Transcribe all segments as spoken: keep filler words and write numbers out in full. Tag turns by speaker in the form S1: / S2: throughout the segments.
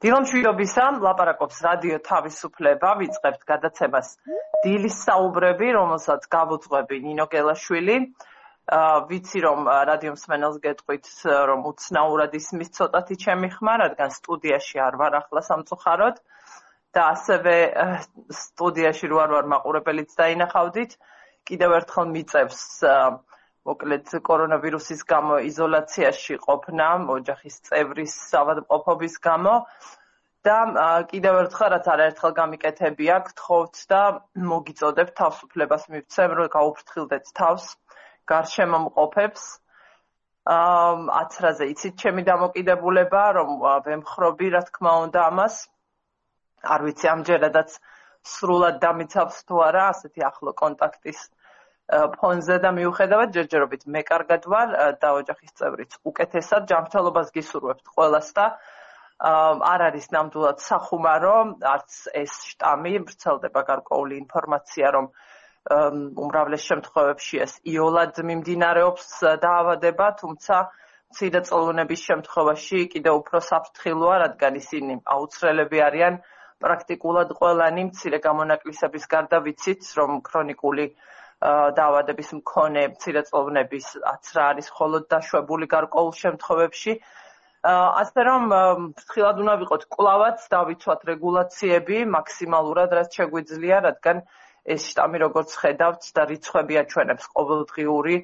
S1: დილომშვიდობისა, ლაპარაკობს რადიო თავისუფლება, ვიწყებთ გადაცემას დილის საუბრები, რომელსაც გავუძღვები ნინო გელაშვილი. ვიცი რომ რადიო მსმენელს გეტყვით რომ უცნაურად ისმის ცოტათი ჩემი ხმა, რადგან სტუდიაში არ ვარ ახლა სამწუხაროდ და ასევე სტუდიაში რო არ ვარ მაყურებელიც დაინახავდით. კიდევ ერთხელ მიწევს მოკლედ კორონავირუსის გამო იზოლაციაში ყოფნა, ოჯახის წევრის ავადმყოფობის გამო და კიდევ ერთხელ რაც არაერთხელ გამიკეთებია, გთხოვთ და მოგიწოდებთ თავისუფლებას მივცემ, რომ გაუფრთხილდეთ თავს გარშემო მყოფებს. აცრაზე იცით ჩემი დამოკიდებულება, რომ ვემხრობი რა თქმა უნდა ამას. არ ვიცი ამჯერადაც სრულად დამიცავს თუ არა ასეთი ახლო კონტაქტის ფონზე და მიუხედავად ჯერჯერობით მე კარგად ვარ და ოჯახის წევრიც უკეთესად. ჯანმრთელობას გისურვებთ ყველას და არ არის ნამდვილად სახუმარო, არც ეს შტამი ვრცელდება გარკვეული ინფორმაცია, რომ უმრავლეს შემთხვევებში ეს იოლად მიმდინარეობს დაავადება, თუმცა მცირე წყლუნების შემთხვევაში კიდევ უფრო საფრთხილოა, რადგან ისინი აუცრელები არიან პრაქტიკულად ყველანი. მცირე გამონაკლისების გარდა ვიცით, რომ ქრონიკული დაავადების მქონე მცირე წყლუნების აცრა არის მხოლოდ დაშვებული გარკვეულ შემთხვევებში. ასე რომ ფრთხილად უნდა ვიყოთ, კვლავაც დავიცვათ რეგულაციები მაქსიმალურად, რაც შეგვიძლია, რადგან ეს შტამი როგორც ხედავთ და რიცხვები აჩვენებს ყოველდღიური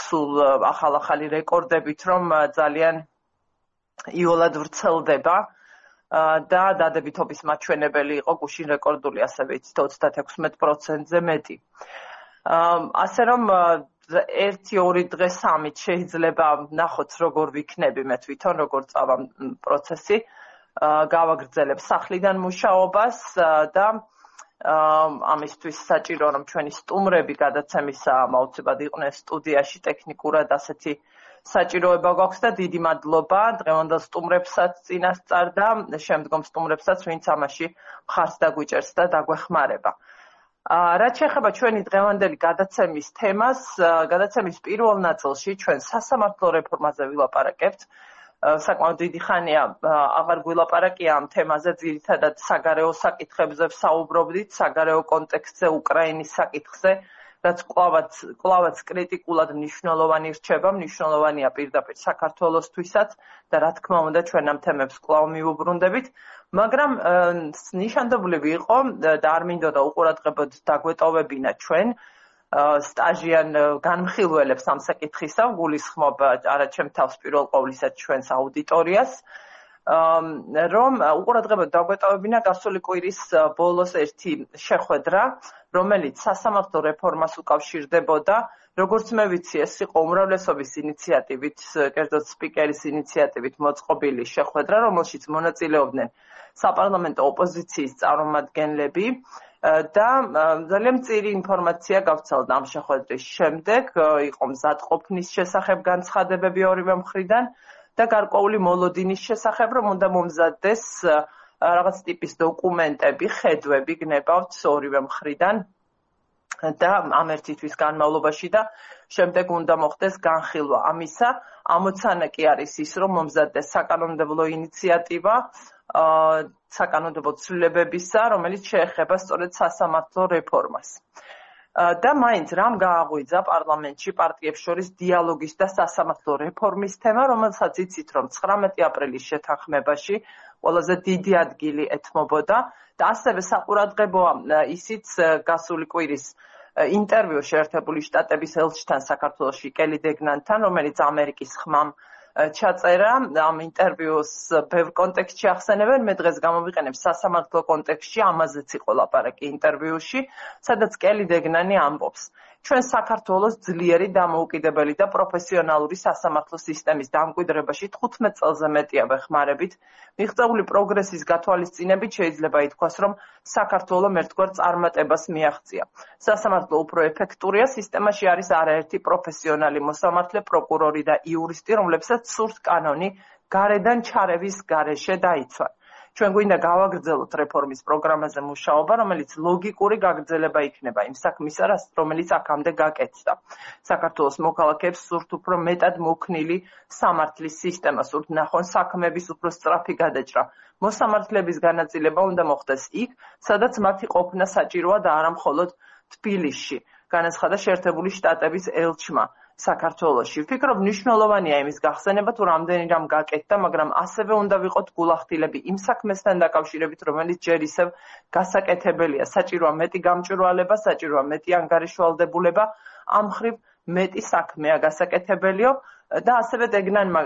S1: სულ ახალ-ახალი რეკორდებით, რომ ძალიან იოლად ვრცელდება და დადებითობის მაჩვენებელი იყო გუშინ რეკორდული, ასევე იცით ოცდათექვსმეტ პროცენტზე მეტი. ასე რომ ერთი ორი დღე სამით შეიძლება ნახოთ როგორ ვიქნები მე თვითონ, როგორ წავა პროცესი, გავაგრძელებ სახლიდან მუშაობას და ამისთვის საჭირო რომ ჩვენი სტუმრები გადაცემისა აუცილებლად იყვნენ სტუდიაში, ტექნიკურად ასეთი საჭიროება გვაქვს და დიდი მადლობა დღევანდელ სტუმრებსაც წინასწარ და შემდგომ სტუმრებსაც, ვინც ამაში მხარს დაგვიჭერს და დაგვეხმარება. რაც შეეხება ჩვენი დღევანდელი გადაცემის თემას, გადაცემის პირველ ნაწილში ჩვენ სასამართლო რეფორმაზე ვილაპარაკებთ. საკმაოდ დიდი ხანია აღარ გვილაპარაკია ამ თემაზე, ძირითადად საგარეო საკითხებზე ვსაუბრობდით, საგარეო კონტექსტზე, უკრაინის საკითხზე, რაც კვლავაც კვლავაც კრიტიკულად მნიშვნელოვანი რჩება, მნიშვნელოვანია პირდაპირ საქართველოსთვისაც და რა თქმა უნდა ჩვენ ამ თემებს კვლავ მიუბრუნდებით, მაგრამ ნიშანდობლივი იყო და არ მინდოდა უყურადღებოდ დაგვეტოვებინა ჩვენ სტაჟიან განმხილველებს ამ საკითხისა, გულისხმობ არა ჩემ თავს პირველ ყოვლისა ჩვენს აუდიტორიას, რომ უყურადღებოდ დაგვეტოვებინა გასული კვირის ბოლოს ერთი შეხვედრა, რომელიც სასამართლო რეფორმას უკავშირდებოდა. როგორც მე ვიცი, ეს იყო უმრავლესობის ინიციატივით, კერძოდ სპიკერის ინიციატივით მოწყობილი შეხვედრა, რომელშიც მონაწილეობდნენ საპარლამენტო ოპოზიციის წარმომადგენლები და ძალიან მწირი ინფორმაცია გავცელდა ამ შეხვედრის შემდეგ, იყო მზადყოფნის შესახებ განცხადებები ორივე მხრიდან და გარკვეული მოლოდინის შესახებ, რომ უნდა მომზადდეს რაღაც ტიპის დოკუმენტები, ხედვები გნებავთ ორივე მხრიდან და ამ ერთი თვის განმავლობაში და შემდეგ უნდა მოხდეს განხილვა ამისა. ამოცანა კი არის ის, რომ მომზადდეს საკანონმდებლო ინიციატივა საკანონმდებლო ცვლილებებისა, რომელიც შეეხება სწორედ სასამართლო რეფორმას. და მაინც რამ გააღვიძა პარლამენტში პარტიებს შორის დიალოგის და სასამართლო რეფორმის თემა, რომელსაც იცით, რომ ცხრამეტი აპრილის შეთანხმებაში ყველაზე დიდი ადგილი ეთმობოდა და ასევე საყურადღებოა ისიც გასული კვირის ინტერვიუ შეერთებული შტატების ელჩთან საქართველოში კელი დეგნანთან, რომელიც ამერიკის ხმამ ჩაწერა. ამ ინტერვიუს ბევრ კონტექსტში ახსენებენ, მე დღეს გამოვიყენებ სასამართლო კონტექსტში, ამაზეც იყო ლაპარაკი ინტერვიუში, სადაც კელი დეგნანი ამბობს. ჩვენ საქართველოს ძლიერი, დამოუკიდებელი და პროფესიონალური სასამართლო სისტემის დამკვიდრებაში თხუთმეტ წელზე მეტია ვეხმარებით. მიღწეული პროგრესის გათვალისწინებით შეიძლება ითქვას, რომ საქართველომ ერთგვარ წარმატებას მიაღწია. სასამართლო უფრო ეფექტურია, სისტემაში არის არაერთი პროფესიონალი მოსამართლე, პროკურორი და იურისტი, რომლებსაც სურთ კანონი გარედან ჩარევის გარეშე დაიცვან. ჩვენ გვინდა გავაგრძელოთ რეფორმის პროგრამაზე მუშაობა, რომელიც ლოგიკური გაგრძელება იქნება იმ საქმისა, რომელიც აქამდე გაკეთდა. საქართველოს მოქალაქეებს სურთ უფრო მეტად მოქნილი სამართლის სისტემა, სურთ ნახონ საქმეების უფრო სწრაფი გადაჭრა. მოსამართლეების განაწილება უნდა მოხდეს იქ, სადაც მათი ყოფნა საჭიროა და არა მხოლოდ თბილისში, განაცხადა შეერთებული შტატების ელჩმა საქართველოში. ვფიქრობ, მნიშვნელოვანია იმის გახსენება, თუ რამდენი რამ გაკეთდა, მაგრამ ასევე უნდა ვიყოთ გულახდილები იმ საქმესთან დაკავშირებით, რომელიც ჯერ ისევ გასაკეთებელია. საჭიროა მეტი გამჭვირვალება, საჭიროა მეტი ანგარიშვალდებულება, ამ მხრივ მეტი საქმეა გასაკეთებელიო და ასევე დეგნანმა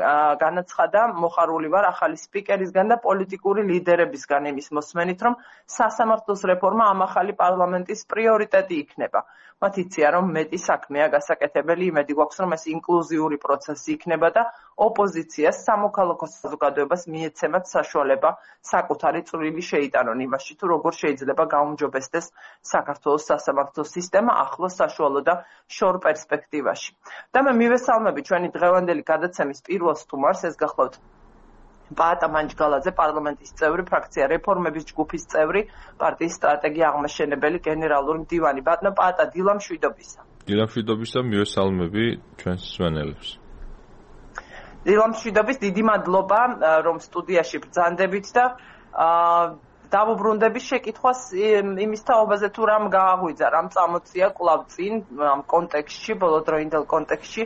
S1: განაცხადა, მოხარული ვარ ახალი სპიკერისგან და პოლიტიკური ლიდერებისგან იმის მოსმენით, რომ სასამართლოს რეფორმა ამ ახალი პარლამენტის პრიორიტეტი იქნება. მათ იციან, რომ მეტი საქმეა გასაკეთებელი, იმედი გვაქვს, რომ ეს ინკლუზიური პროცესი იქნება და ოპოზიციას, სამოქალაქო საზოგადოებას მიეცემათ საშუალება საკუთარი წვლილი შეიტანონ იმაში, თუ როგორ შეიძლება გაუმჯობესდეს საქართველოს სასამართლო სისტემა ახლოს, საშუალო და შორ პერსპექტივაში. და მე მივესალმები ჩვენი დღევანდელი გადაცემის პირველ სტუმარს, ეს გახლავთ პაატა მანჯგალაძე, პარლამენტის წევრი, ფრაქცია რეფორმების ჯგუფის წევრი, პარტიის სტრატეგია აღმაშენებელი, გენერალური მდივანი. ბატონო პაატა, დილა მშვიდობისა.
S2: დილა მშვიდობისა, მივესალმები ჩვენს მსმენელებს.
S1: დილა მშვიდობის, დიდი მადლობა, რომ სტუდიაში ბრძანდებით და დავუბრუნდები შეკითხვას იმის თაობაზე, თუ რამ გააღვიძა, რამ წამოწია კვლავ წინ ამ კონტექსტში, ბოლოდროინდელ კონტექსტში,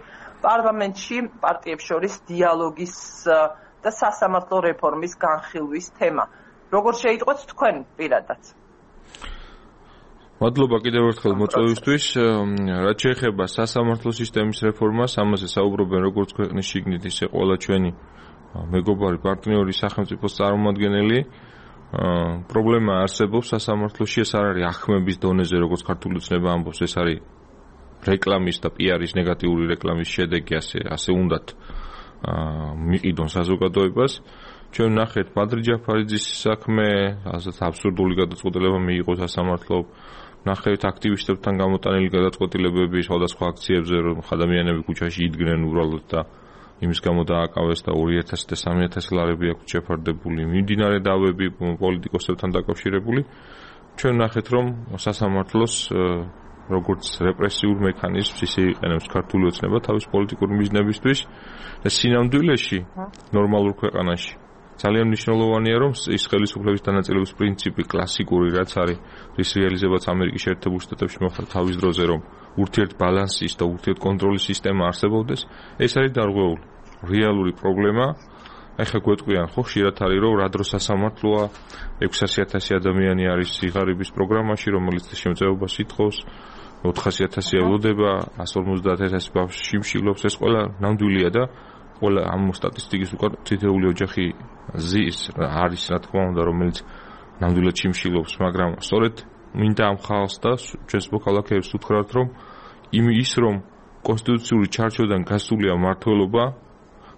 S1: პარლამენტში პარტიებს შორის დიალოგის და სასამართლო რეფორმის განხილვის თემა. როგორ შეიტყვეთ თქვენ პირადად?
S2: მადლობა კიდევ ერთხელ მოწვევისთვის. რაც შეეხება სასამართლო სისტემის რეფორმას, ამაზე საუბრობენ როგორც ქვეყნის შიგნით, ისე ყველა ჩვენი მეგობარი პარტნიორი სახელმწიფოს წარმომადგენელი. პრობლემა არსებობს სასამართლოში, ეს არ არის ახმების დონეზე, როგორც ქართული ოცნება ამბობს, ეს არის რეკლამის და პიარის ნეგატიური რეკლამის შედეგი, ასე ასე უნდათ მიყიდონ საზოგადოებას. ჩვენ ნახეთ ბადრი ჯაფარიძის საქმე, ასეთ აბსურდული გადაწყვეტილება მიიღო სასამართლომ. ნახეთ აქტივისტებთან გამოტანილი გადაწყვეტილებები სხვადასხვა აქციებზე, რომ ადამიანები ქუჩაში იდგნენ უბრალოდ და იმის გამო დააკავეს და ორი ათასი და სამი ათასი ლარები აქვს შეფარდებული. მიმდინარე დავები პოლიტიკოსებთან დაკავშირებული. ჩვენ ნახეთ, რომ სასამართლოს როგორც რეპრესიულ მექანიზმს ისე იყენებს ქართული ოცნება თავის პოლიტიკური მიზნებისთვის და სინამდვილეში ნორმალურ ქვეყანაში ძალიან მნიშვნელოვანია, რომ ის ხელისუფლების დანაწილების პრინციპი კლასიკური, რაც არის, რის რეალიზებაც ამერიკის შეერთებულ შტატებში მოხდა თავის დროზე, რომ ურთიერთბალანსის და ურთიერთკონტროლის სისტემა არსებობდეს, ეს არის დარღვეული რეალური პრობლემა. ეხლა გვეტყვიან, ხო, ხშირად არის, რომ რა დროს სასამართლოა, ექვსასი ათასი ადამიანი არის სიღარიბის პროგრამაში, რომელიც შემწეობას ითხოვს, ოთხასი ათასი ელოდება, ასი ორმოცდაათი ათასი ბავშვი შიმშილობს, ეს ყველა ნამდვილია და ყველა ამ სტატისტიკის უკან თითოეული ოჯახი ზის არის, რა თქმა უნდა, რომელიც ნამდვილად შიმშილობს, მაგრამ სწორედ მინდა ამ ხალხს და ჩვენს მოქალაქეებს უთხრათ, რომ ის რომ კონსტიტუციური ჩარჩოდან გასულია მმართველობა,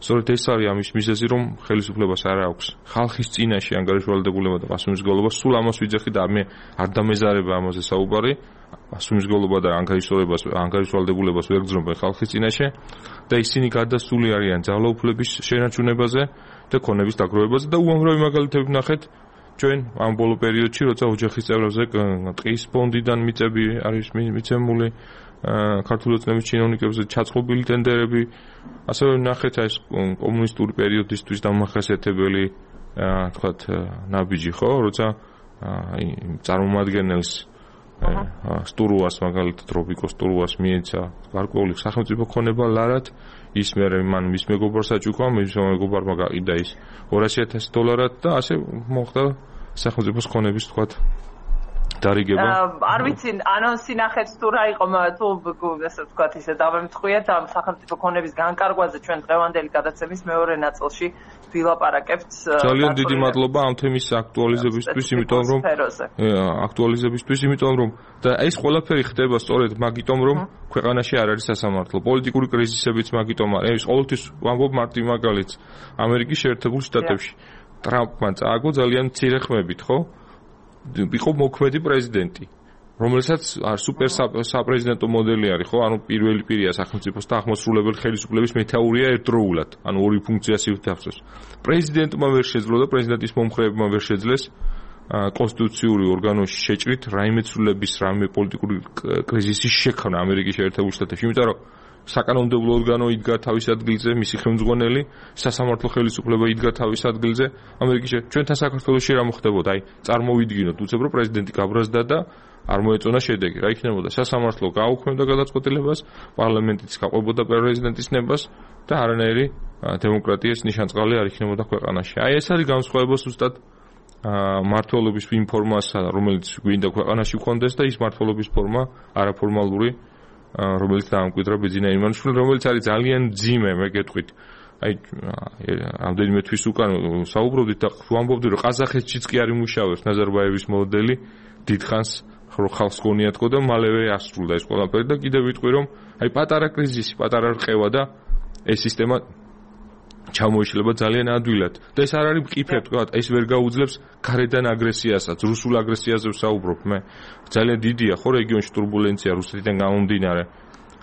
S2: სწორედ ეს არის ამის მიზეზი, რომ ხელისუფლებას არ აქვს ხალხის წინაშე ანგარიშვალდებულება და პასუხისმგებლობა. სულ ამას ვიძახი და მე არ დამეზარება ამაზე საუბარი. პასუხისმგებლობა და ანგარიშვალდებას, ანგარიშვალდებულებას ვერ გძნობენ ხალხის წინაშე და ისინი გადასული არიან ძალაუფლების შენარჩუნებაზე და ქონების დაგროვებაზე და უამრავი მაგალითები ვნახეთ ჩვენ ამ ბოლო პერიოდში, როცა ოჯახის წევრებზე ტყის ფონდიდან მიწები არის მიცემული, ქართული ოცნების ჩინოვნიკებზე ჩაწყობილი ტენდერები, ასევე ნახეთ ეს კომუნისტური პერიოდისთვის დამახასიათებელი თქვათ ნაბიჯი, ხო, როცა წარმომადგენელს სტურუას, მაგალითად რობიკოს სტურუას მიეცა გარკვეული სახელმწიფო ქონება ლარად, ის მერე მან მის მეგობარს აჭუქა, მის მეგობარმა გაყიდა ის ორასი ათასი დოლარად და ასე მოხდა სახელმწიფოს ქონების თქვათ დარიგება.
S1: არ ვიცი, ანონსი ნახეთ თუ რა იყო, თუ ასე ვთქვათ, ისე დავემთხვიეთ ამ სახელმწიფო ქონების განკარგვაზე ჩვენ დღევანდელი გადაცემის მეორე ნაწილში ვილაპარაკებთ.
S2: ძალიან დიდი მადლობა ამ თემის აქტუალიზებისთვის, იმიტომ რომ აქტუალიზებისთვის, იმიტომ რომ და ეს ყველაფერი ხდება სწორედ მაგიტომ, რომ ქვეყანაში არ არის სასამართლო. პოლიტიკური კრიზისებიც მაგიტომ არის. ეს ყოველთვის ვამბობ მარტივ მაგალითს. ამერიკის შეერთებულ შტატებში ტრამპმა წააგო ძალიან მცირე ხმებით, ხო? იყო მოქმედი პრეზიდენტი. რომელსაც სუპერ საპრეზიდენტო მოდელი არის, ხო? ანუ პირველი პირია სახელმწიფოს და აღმასრულებელი ხელისუფლების მეთაურია ერთდროულად, ანუ ორი ფუნქციას ივთავს. პრეზიდენტმა ვერ შეძლო და პრეზიდენტის მომხრეებმა ვერ შეძლეს კონსტიტუციური ორგანოში შეჭრით რაიმე ცვლილების, რაიმე პოლიტიკური კრიზისის შექმნა ამერიკის შეერთებულ შტატებში, იმიტომ რომ საკანონმდებლო ორგანო იდგა თავის ადგილზე, მისი ხელმძღვანელი, სასამართლო ხელისუფლება იდგა თავის ადგილზე. ამერიკის ჩვენთან საქართველოში რა მოხდებოდა? აი, წარმოვიდგინოთ, უცებ რომ პრეზიდენტი გაბრაზდა და არ მოეწონა შედეგი. რა იქნებოდა? სასამართლო გააუქმებდა გადაწყვეტილებას, პარლამენტიც გაყვებოდა პრეზიდენტის ნებას და არანაირი დემოკრატიის ნიშანწყალი არ იქნებოდა ქვეყანაში. აი, ეს არის განსხვავება ზუსტად მართლობის იმ ფორმასა, რომელიც გვინდა ქვეყანაში გქონდეს და ის მართლობის ფორმა არაფორმალური, რომელიც დაამკვიდრა ბიძინა იმანიშვილს, რომელიც არის ძალიან ძიმე, მე გეტყვით. აი, ამდენიმე თვის უკან საუბრობდით და ვამბობდი, რომ ყაზახეთშიც კი არ იმუშავებს ნაზარბაევის მოდელი, დიდხანს ხალხს გონიათქო და მალევე ასრულდა ეს ყველაფერი და კიდევ ვიტყვი, რომ აი პატარა კრიზისი, პატარა რყევა და ეს სისტემა ჩამოიშლება ძალიან ადვილად. და ეს არ არის მყიფე, თქვა, ეს ვერ გაუძლებს გარედან აგრესიასაც, რუსულ აგრესიაზე ვსაუბრობ მე. ძალიან დიდია ხო რეგიონში турბულენცია რუსეთიდან გამომდინარე.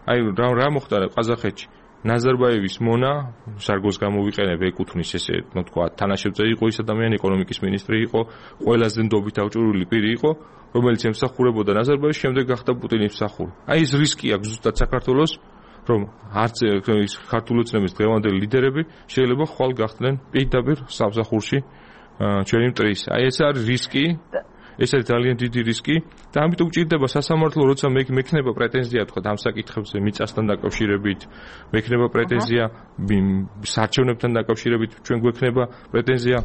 S2: აი რა რა მოხდა ყაზახეთში? ნაზარბაევის მონა, სარგოს გამოვიყენებ, ეკუთვნის ესე, ну თქვა, თანაშემწე იყო ის ადამიანი, ეკონომიკის მინისტრი იყო, ყველაზე ნდობით აღჭურვილი პირი იყო, რომელიც ემსახურებოდა ნაზარბაევის, შემდეგ გახდა პუტინის მსახური. აი ეს რისკი აქვს ზუსტად საქართველოს, რომ არც ის ქართული ოცნების დღევანდელი ლიდერები შეიძლება ხვალ გახდნენ პირდაპირ სამსახურში ჩვენი მტრის. აი ეს არის რისკი, ეს არის ძალიან დიდი რისკი და ამიტომ გჭირდება სასამართლო, როცა მექნება პრეტენზია თქვა ამ საკითხებზე მიწასთან დაკავშირებით, მექნება პრეტენზია საარჩევნებთან დაკავშირებით, ჩვენ გვექნება პრეტენზია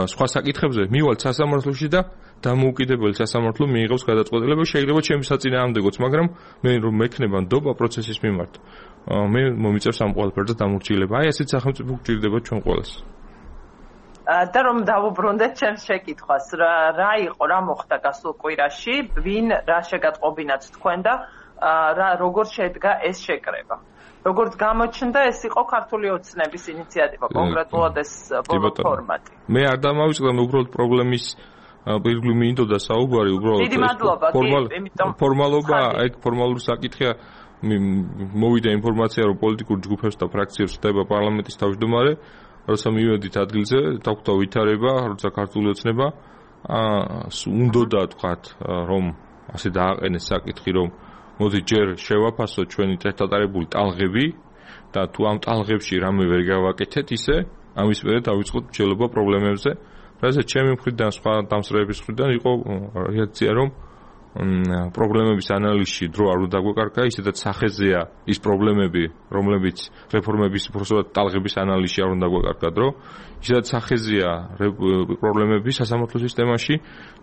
S2: სხვა საკითხებზე, მივალთ სასამართლოში და დამოუკიდებელი სასამართლო მიიღებს გადაწყვეტილება, შეიძლება ჩემი საწინააღმდეგოც, მაგრამ მე რომ მექნება ნდობა პროცესის მიმართ, მე მომიწევს ამ ყველაფერზე დამორჩილება. აი ესეც სახელმწიფო გჭირდება ჩვენ ყველას.
S1: და რომ დავუბრუნდეთ ჩემს შეკითხვას, რა იყო, რა მოხდა გასულ კვირაში, ვინ რა შეგატყობინათ თქვენ და რა როგორ შედგა ეს შეკრება? როგორც გამოჩნდა, ეს იყო ქართული ოცნების ინიციატივა, კონკრეტულად ეს ბოლო ფორმატი.
S2: მე არ დამავიწყდა, მე უბრალოდ პრობლემის პირველი მინდოდა საუბარი, უბრალოდ ფორმალობა, ეგ ფორმალური საკითხია, მოვიდა ინფორმაცია, რომ პოლიტიკურ ჯგუფებს და ფრაქციებს ხდება პარლამენტის თავმჯდომარე, როცა მივედით ადგილზე, დაგვდა ვითარება, როცა ქართული ოცნება უნდოდა თქვათ, რომ ასე დააყენეს საკითხი, რომ მოდი ჯერ შევაფასოთ ჩვენი წესდატარებული ტალღები და თუ ამ ტალღებში რამე ვერ გავაკეთეთ ისე, ამის მერე დავიწყოთ მჯელობა პრობლემებზე. რასაც ჩემი მხრიდან, სხვა დამსწრეების მხრიდან იყო რეაქცია, რომ პრობლემების ანალიზში დრო არ უნდა გვეკარგა, ისედაც სახეზეა ის პრობლემები, რომლებიც რეფორმების უბრალოდ ტალღების ანალიზში არ უნდა გვეკარგა დრო, ისედაც სახეზეა პრობლემები სასამართლო სისტემაში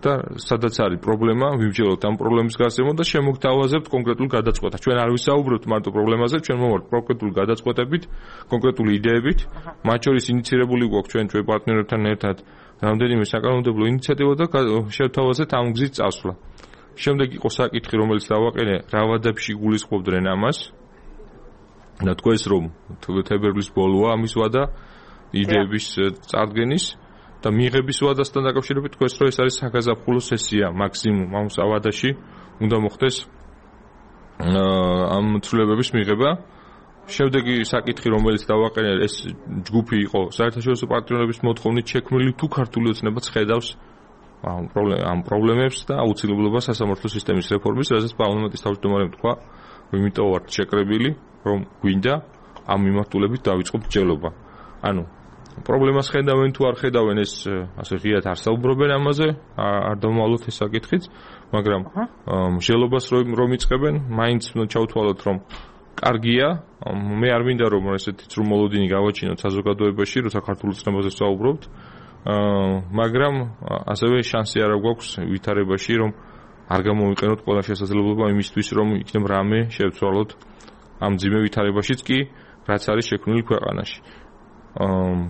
S2: და სადაც არის პრობლემა, ვიმჯეროთ ამ პრობლემის გარსევან და შემოგთავაზებთ კონკრეტულ გადაწყვეტას. ჩვენ არ ვისაუბრებთ მარტო პრობლემაზე, ჩვენ მოვართ კონკრეტულ გადაწყვეტებით, კონკრეტული იდეებით, მათ შორის ინიცირებული გვაქვს ჩვენ ჩვენ პარტნიორებთან ერთად რამდენიმე საკანონმდებლო ინიციატივა და შევთავაზეთ ამ გზით წასვლა. შემდეგ იყო საკითხი, რომელიც დავაყენე, რა ვადებში გულისხმობდნენ ამას. და თქვენს რომ თებერვლის ბოლოა ამის ვადა იდეების წარდგენის და მიღების ვადასთან დაკავშირებით თქვენს რომ ეს არის საგაზაფხულო სესია მაქსიმუმ ამ ვადაში უნდა მოხდეს ამ ცვლილებების მიღება. შემდეგი საკითხი, რომელიც დავაყენე, ეს ჯგუფი იყო საერთაშორისო პარტნიორების მოთხოვნით შექმნილი, თუ ქართული ოცნებაც ხედავს ამ პრობლემებს და აუცილებლობას სასამართლო სისტემის რეფორმის, რასაც პარლამენტის თავმჯდომარემ თქვა, რომ იმიტომ ვართ შეკრებილი, რომ გვინდა ამ მიმართულებით დავიწყოთ მჯელობა. ანუ პრობლემას ხედავენ თუ არ ხედავენ, ეს ასე ღიად არ საუბრობენ ამაზე, არ დავმალოთ ეს საკითხიც, მაგრამ მჯელობას რომ იწყებენ, მაინც ჩავთვალოთ, რომ კარგია, მე არ მინდა რომ ესეთი ცრუმოლოდინი გავაჩინოთ საზოგადოებაში, როცა ქართულ ოცნებაზე ვსაუბრობთ, მაგრამ ასევე შანსი არ გვაქვს ვითარებაში, რომ არ გამოვიყენოთ ყველა შესაძლებლობა იმისთვის, რომ იქნებ რამე შევცვალოთ ამ ძიმე ვითარებაშიც კი, რაც არის შექმნილი ქვეყანაში.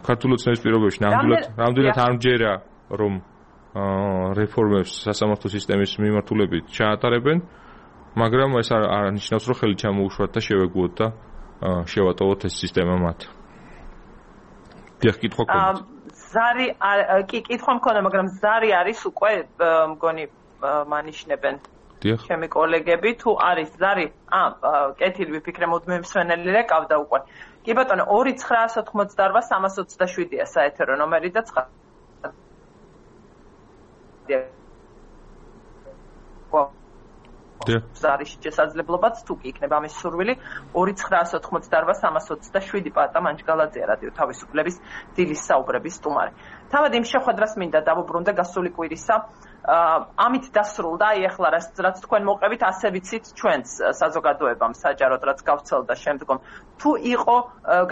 S2: ქართულ ოცნების პირობებში ნამდვილად ნამდვილად არ მჯერა, რომ რეფორმებს სასამართლო სისტემის მიმართულებით ჩაატარებენ, მაგრამ ეს არ ნიშნავს, რომ ხელი ჩამოუშვათ და შევეგუოთ და შევატოვოთ ეს სისტემა მათ. დიახ, კითხვა გქონდათ?
S1: ზარი კი კითხვა მქონდა, მაგრამ ზარი არის უკვე მგონი მანიშნებენ ჩემი კოლეგები, თუ არის ზარი, ა კეთილი ვიფიქრე მუდმივი მსვენელი რეკავდა უკვე. კი ბატონო, ორი ცხრაას ოთხმოცდაორვა სამას ოცდაშვიდია საეთერო ნომერი და ცხრა. ზარის შესაძლებლობაც თუ კი იქნება ამის სურვილი ორი ცხრაას ოთხმოცდაორვა სამას ოცდაშვიდი პატა მანჯგალაძე რადიო თავისუფლების დილის საუბრების სტუმარი. თავად იმ შეხვედრას მინდა დავუბრუნდე გასული კვირისა. ამით დასრულდა, აი ახლა რაც თქვენ მოყევით, ასე ვიცით ჩვენს საზოგადოებამ საჯაროდ რაც გავცელდა შემდგომ. თუ იყო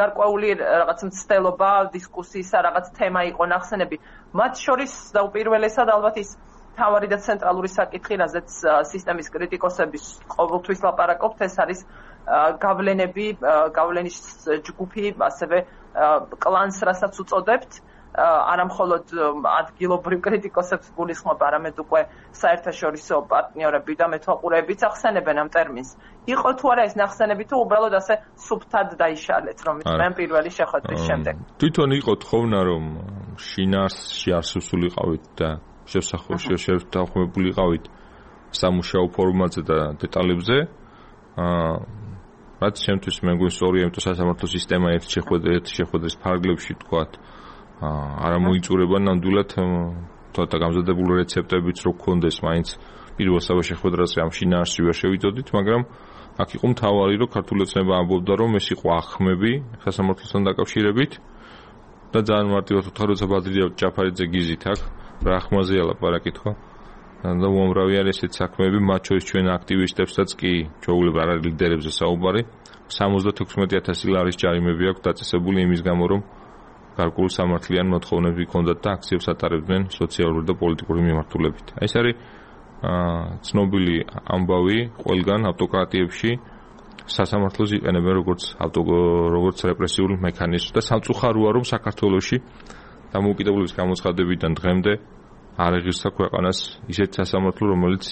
S1: გარკვეული რაღაც მცდელობა, დისკუსიისა, რაღაც თემა იყო ნახსენები, მათ შორის დაუპირველესად ალბათ ის თავარი და ცენტრალური საკითხი, რაზეც სისტემის კრიტიკოსების ყოველთვის ლაპარაკობთ, ეს არის გავლენები, გავლენის ჯგუფი, ასევე კლანს, რასაც უწოდებთ. არა მხოლოდ ადგილობრივ კრიტიკოსებს გულისხმობ, არამედ უკვე საერთაშორისო პარტნიორები და მეთვალყურეებიც ახსენებენ ამ ტერმინს. იყო თუ არა ეს ნახსენები, თუ უბრალოდ ასე სუფთად დაიშალეთ, რომ მე პირველი შეხვედრის შემდეგ.
S2: თვითონ იყო თხოვნა, რომ შინაარსში არ სუსულიყავით და შევსახმებულიყავით სამუშაო ფორმატზე და დეტალებზე. რაც შემთხვევით მე გვინს სწორია, იმიტომ სასამართლო სისტემა ერთ შეხვედრის ფარგლებში თქვათ არა მოიწურება ნამდვილად თოთა გამზადებული რეცეპტებიც რო გქონდეს, მაინც პირველ შეხვედრაზე ამ შინაარსში ვერ შევიწოდით, მაგრამ აქ იყო მთავარი, რომ ქართული ოცნება ამბობდა, რომ ეს იყო ახმები სასამართლოსთან დაკავშირებით და ძალიან მარტივად ვთქვა, როცა ბადრია ჯაფარიძე გიზით აქ რა ახმაზეა ლაპარაკი თქო. და უამრავი არის ესეთ საქმეები, მათ შორის ჩვენ აქტივისტებსაც კი ჩვეულებრივ არ არის ლიდერებზე საუბარი. სამოცდათექვსმეტი ათასი ლარის ჯარიმები აქვს დაწესებული იმის გამო, რომ გარკვეულ სამართლიან მოთხოვნები ჰქონდათ და აქციებს ატარებდნენ სოციალური და პოლიტიკური მიმართულებით. ეს არის ცნობილი ამბავი ყველგან ავტოკრატიებში სასამართლოს იყენებენ როგორც როგორც რეპრესიული მექანიზმი და სამწუხაროა, რომ საქართველოში დამოუკიდებლობის გამოცხადებიდან დღემდე არ ეღირსა ქვეყანას ისეთ სასამართლო, რომელიც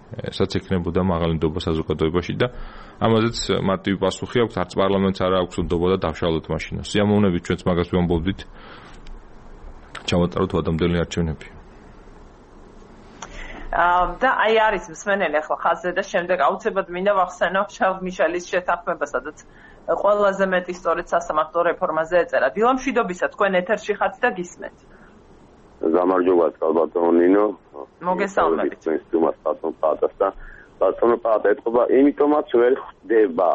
S2: ესაც ექნებოდა მაღალინდობა საზოგადოებაში და ამაზეც მარტივი პასუხი აქვს, არც პარლამენტს არ აქვს ნდობა და დავშალოთ მაშინას. სიამოვნებით ჩვენც მაგას ვამბობდით. ჩავატაროთ ადამიანელი არჩევნები.
S1: და აი არის მსმენელი ახლა ხაზზე და შემდეგ აუცილებლად მინდა ვახსენო შავ მიშელის შეთანხმება, სადაც ყველაზე მეტი სწორედ სასამართლო რეფორმაზე ეწერა. დილამშვიდობისა, თქვენ ეთერში ხართ და გისმენთ.
S3: გამარჯობა ბატონო ნინო.
S1: მოგესალმებით.
S3: ჩვენს სტუმარს ბატონ პატას და ბატონო პატა ეთქობა, იმიტომაც ვერ ხდება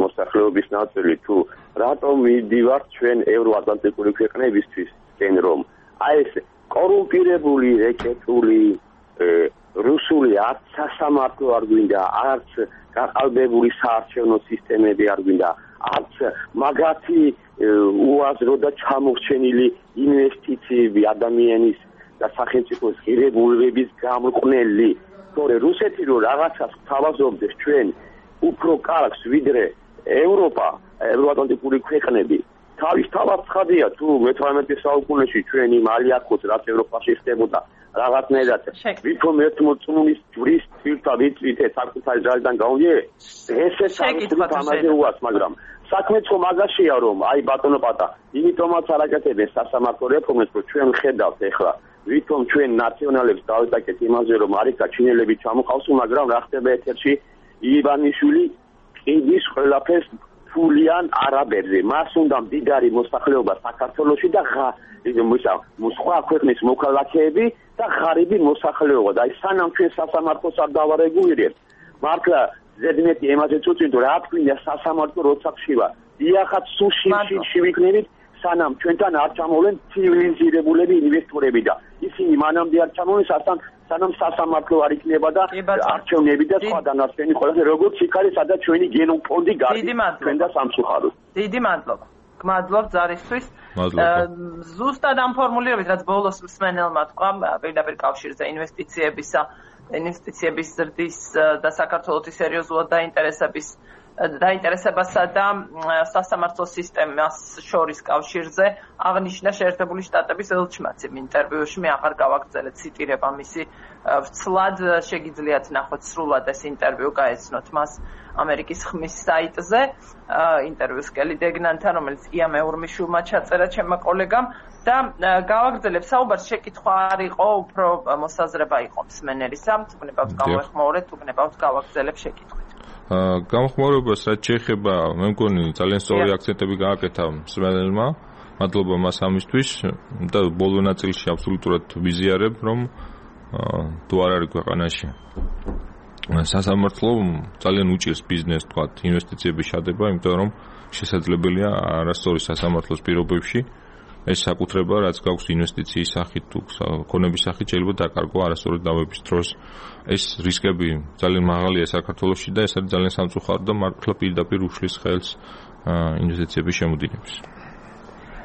S3: მოსახლეობის ნაწილი თუ რატომ მიდივართ ჩვენ ევროატლანტიკური ქვეყნებისთვის თენ რომ აი ეს კორუმპირებული რეკეტული რუსული არც სასამართლო არ გვინდა, არც გაყალბებული საარჩევნო სისტემები არ გვინდა, არც მაგათი უაზრო და ჩამორჩენილი ინვესტიციები ადამიანის და სახელმწიფოს ღირებულებების გამყნელი. თორე რუსეთი რო რაღაცას თავაზობდეს ჩვენ უფრო კარგს ვიდრე ევროპა, ევროატლანტიკური ქვეყნები. თავის თავად ცხადია თუ მეთვრამეტე საუკუნეში ჩვენ იმ ალიახოს რაც ევროპაში ხდებოდა რაღაცნაირად ვითომ ერთმოწმულის ჯვრის თილთა ვიწვითე საკუთარი ძალიდან გავიე ესე საკუთარი უას, მაგრამ საქმეც ხო მაგაშია, რომ აი ბატონო პატა, იმიტომაც არაკეთებენ სასამართლო რეფორმას, რომ ჩვენ ხედავთ ახლა ვითომ ჩვენ ნაციონალებს დავიტაკეთ იმაზე, რომ არიქა ჩინელები ჩამოყავსო, მაგრამ რა ხდება ეთერში ივანიშვილი ყიდის ყველაფერს ფულიან არაბებზე. მას უნდა მდიდარი მოსახლეობა საქართველოში და სხვა ქვეყნის მოქალაქეები და ღარიბი მოსახლეობა. და აი სანამ ჩვენ სასამართლოს არ დავარეგულირებთ, მართლა ზედმეტი ემაზე წუწინდო რა თქვია სასამართლო როცა ხშირა. იახაც სუში ვიქნებით, სანამ ჩვენთან არ ჩამოვლენ ცივილიზირებულები ინვესტორები და ისინი მანამდე არ ჩამოვლენ, სანამ სანამ სასამართლო არ იქნება და არჩევნები და სხვა დანარჩენი ყველაფერი როგორც იქ არის, სადაც ჩვენი გენოფონდი გარდა ჩვენ და სამწუხაროდ.
S1: დიდი მადლობა. გმადლობ ზარისთვის. ზუსტად ამ ფორმულირებით, რაც ბოლოს მსმენელმა თქვა, პირდაპირ კავშირზე ინვესტიციებისა, ინვესტიციების ზრდის და საქართველოს სერიოზულად დაინტერესების დაინტერესებასა და სასამართლო სისტემას შორის კავშირზე აღნიშნა შეერთებული შტატების ელჩმაცი ინტერვიუში. მე აღარ გავაგრძელებ ციტირება მისი ვცლად, შეგიძლიათ ნახოთ სრულად ეს ინტერვიუ, გაეცნოთ მას ამერიკის ხმის საიტზე, ინტერვიუს კელი დეგნანთან, რომელიც ია მეურმიშვილმა ჩაწერა ჩემმა კოლეგამ. და გავაგრძელებ საუბარს, შეკითხვა არ იყო, უფრო მოსაზრება იყო მსმენელისა, თუ გნებავთ გავეხმაურეთ, თუ გნებავთ გავაგრძელებ შეკითხვით.
S2: გამხმაურებას რაც შეეხება, მე მგონი ძალიან სწორი აქცენტები გააკეთა მსმენელმა. მადლობა მას ამისთვის და ბოლო ნაწილში აბსოლუტურად ვიზიარებ, რომ თუ არ არის ქვეყანაში სასამართლო ძალიან უჭირს ბიზნესს, თქვა, ინვესტიციების შადება, იმიტომ რომ შესაძლებელია არასწორი სასამართლოს პირობებში ეს საკუთრება, რაც გაქვს ინვესტიციის სახით თუ ქონების სახით, შეიძლება დაკარგო არასწორი დავების დროს. ეს რისკები ძალიან მაღალია საქართველოში და ეს არის ძალიან სამწუხარო და მართლა პირდაპირ უშლის ხელს ინვესტიციების შემოდინებას.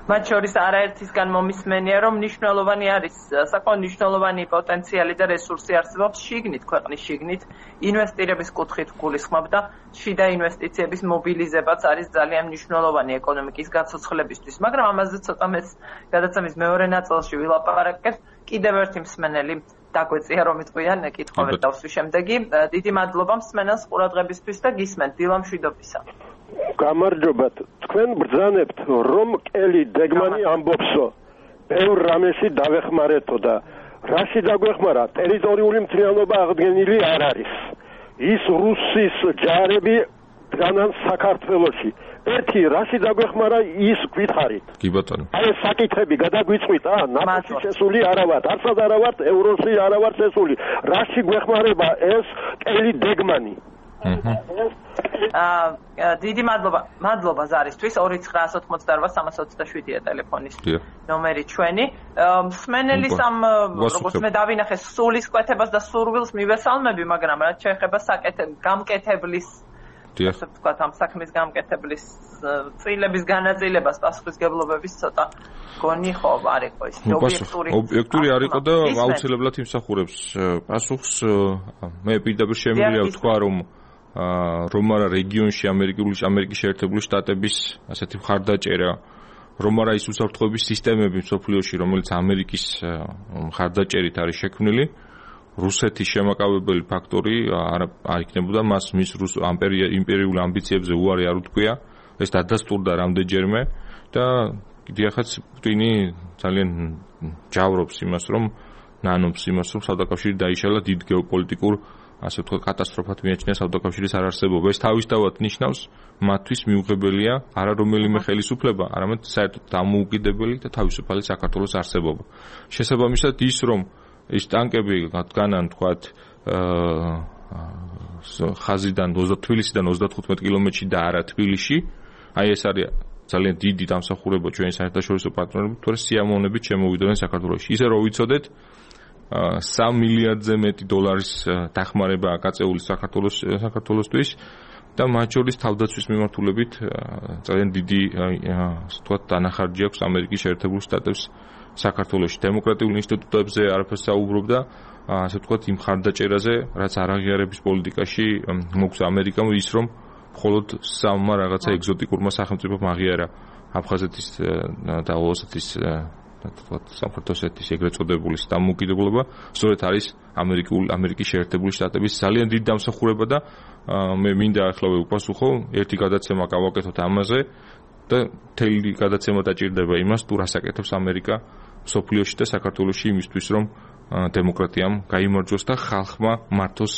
S1: მათ შორის არაერთისგან მომისმენია, რომ მნიშვნელოვანი არის, საკმაოდ მნიშვნელოვანი პოტენციალი და რესურსი არსებობს შიგნით, ქვეყნის შიგნით, ინვესტირების კუთხით გულისხმობ და შიდა ინვესტიციების მობილიზებაც არის ძალიან მნიშვნელოვანი ეკონომიკის გაცოცხლებისთვის, მაგრამ ამაზე ცოტა მეც გადაცემის მეორე ნაწილში ვილაპარაკებ. კიდევ ერთი მსმენელი დაგვეწია, რომ იტყვიან კითხვები დავსვი შემდეგი. დიდი მადლობა მსმენელს ყურადღებისთვის და გისმენთ დილა მშვიდობისა.
S4: გამარჯობათ, თქვენ ბრძანებთ, რომ კელი დეგმანი ამბობსო, ბევრ რამეში დავეხმარეთო და რაში დაგვეხმარა, ტერიტორიული მთლიანობა აღდგენილი არ არის. ის რუსის ჯარები დგანან საქართველოში. ერთი რაში დაგვეხმარა, ის გითხარით.
S2: კი ბატონო.
S4: აი ეს საკითხები გადაგვიწყვით, ა ნატოში შესული არა ვართ, არცად არა ვართ, ევროში არა ვართ შესული. რაში გვეხმარება ეს კელი დეგმანი?
S1: აა დიდი მადლობა მადლობა ზარისთვის ორი ცხრა ოთხმოცდაოთხ სამას ოცდაშვიდია ტელეფონის ნომერი ჩვენი. მსმენელის ამ როგორც მე დავინახე სულის კვეთებას და სურვილს მივესალმები, მაგრამ რაც შეეხება გამკეთებლის ასე ვთქვათ, ამ საქმის გამკეთებლის წილების განაწილებას პასუხისგებლობების ცოტა გონი ხო არ იყო ის ობიექტური
S2: ობიექტური არ იყო და აუცილებლად იმსახურებს პასუხს. მე პირდაპირ შემიძლია ვთქვა, რომ რომ არა რეგიონში ამერიკული ამერიკის შეერთებული შტატების ასეთი მხარდაჭერა, რომ არა ის უსაფრთხოების სისტემები მსოფლიოში, რომელიც ამერიკის მხარდაჭერით არის შექმნილი, რუსეთის შემაკავებელი ფაქტორი არ არ იქნებოდა მას მის რუს იმპერიულ ამბიციებზე უარი არ უთქვია. ეს დადასტურდა რამდენჯერმე და დიახაც პუტინი ძალიან ჯავრობს იმას, რომ ნანობს იმას, რომ საუდაკავშირი დაიშალა დიდ გეოპოლიტიკურ ასე ვთქვათ კატასტროფად მიაჩნია საუდაკავშირის არარსებობა. ეს თავისთავად ნიშნავს მათთვის მიუღებელია არა რომელიმე ხელისუფლება, არამედ საერთოდ დამოუკიდებელი და თავისუფალი საქართველოს არსებობა. შესაბამისად ის, რომ ეს ტანკები დგანან თქვათ ხაზიდან თბილისიდან ოცდათხუთმეტ კილომეტრში და არა თბილისში, აი ეს არის ძალიან დიდი დამსახურება ჩვენი საერთაშორისო პარტნიორებით, თორე სიამოვნებით შემოვიდნენ საქართველოში. ისე რომ ვიცოდეთ სამ მილიარდზე მეტი დოლარის დახმარებაა გაწეული საქართველოს საქართველოსთვის და მათ შორის თავდაცვის მიმართულებით ძალიან დიდი ასე ვთქვათ დანახარჯი აქვს ამერიკის შეერთებულ შტატებს საქართველოში. დემოკრატიულ ინსტიტუტებზე არაფერს საუბრობდა, ასე ვთქვათ იმ ხარდაჭერაზე, რაც არაღიარების პოლიტიკაში მოგვცა ამერიკამ, ის რომ მხოლოდ სამმა რაღაცა ეგზოტიკურმა სახელმწიფომ აღიარა აფხაზეთის და ოსეთის თქვათ სამხრეთ ოსეთის ეგრეთ წოდებული დამოუკიდებლობა, სწორედ არის ამერიკულ ამერიკის შეერთებული შტატების ძალიან დიდი დამსახურება და მე მინდა ახლა ვუპასუხო, ერთი გადაცემა გავაკეთოთ ამაზე და თელი გადაცემა დაჭირდება იმას, თუ რას აკეთებს ამერიკა სოფლიოში და საქართველოში იმისთვის, რომ დემოკრატიამ გაიმარჯვოს და ხალხმა მართოს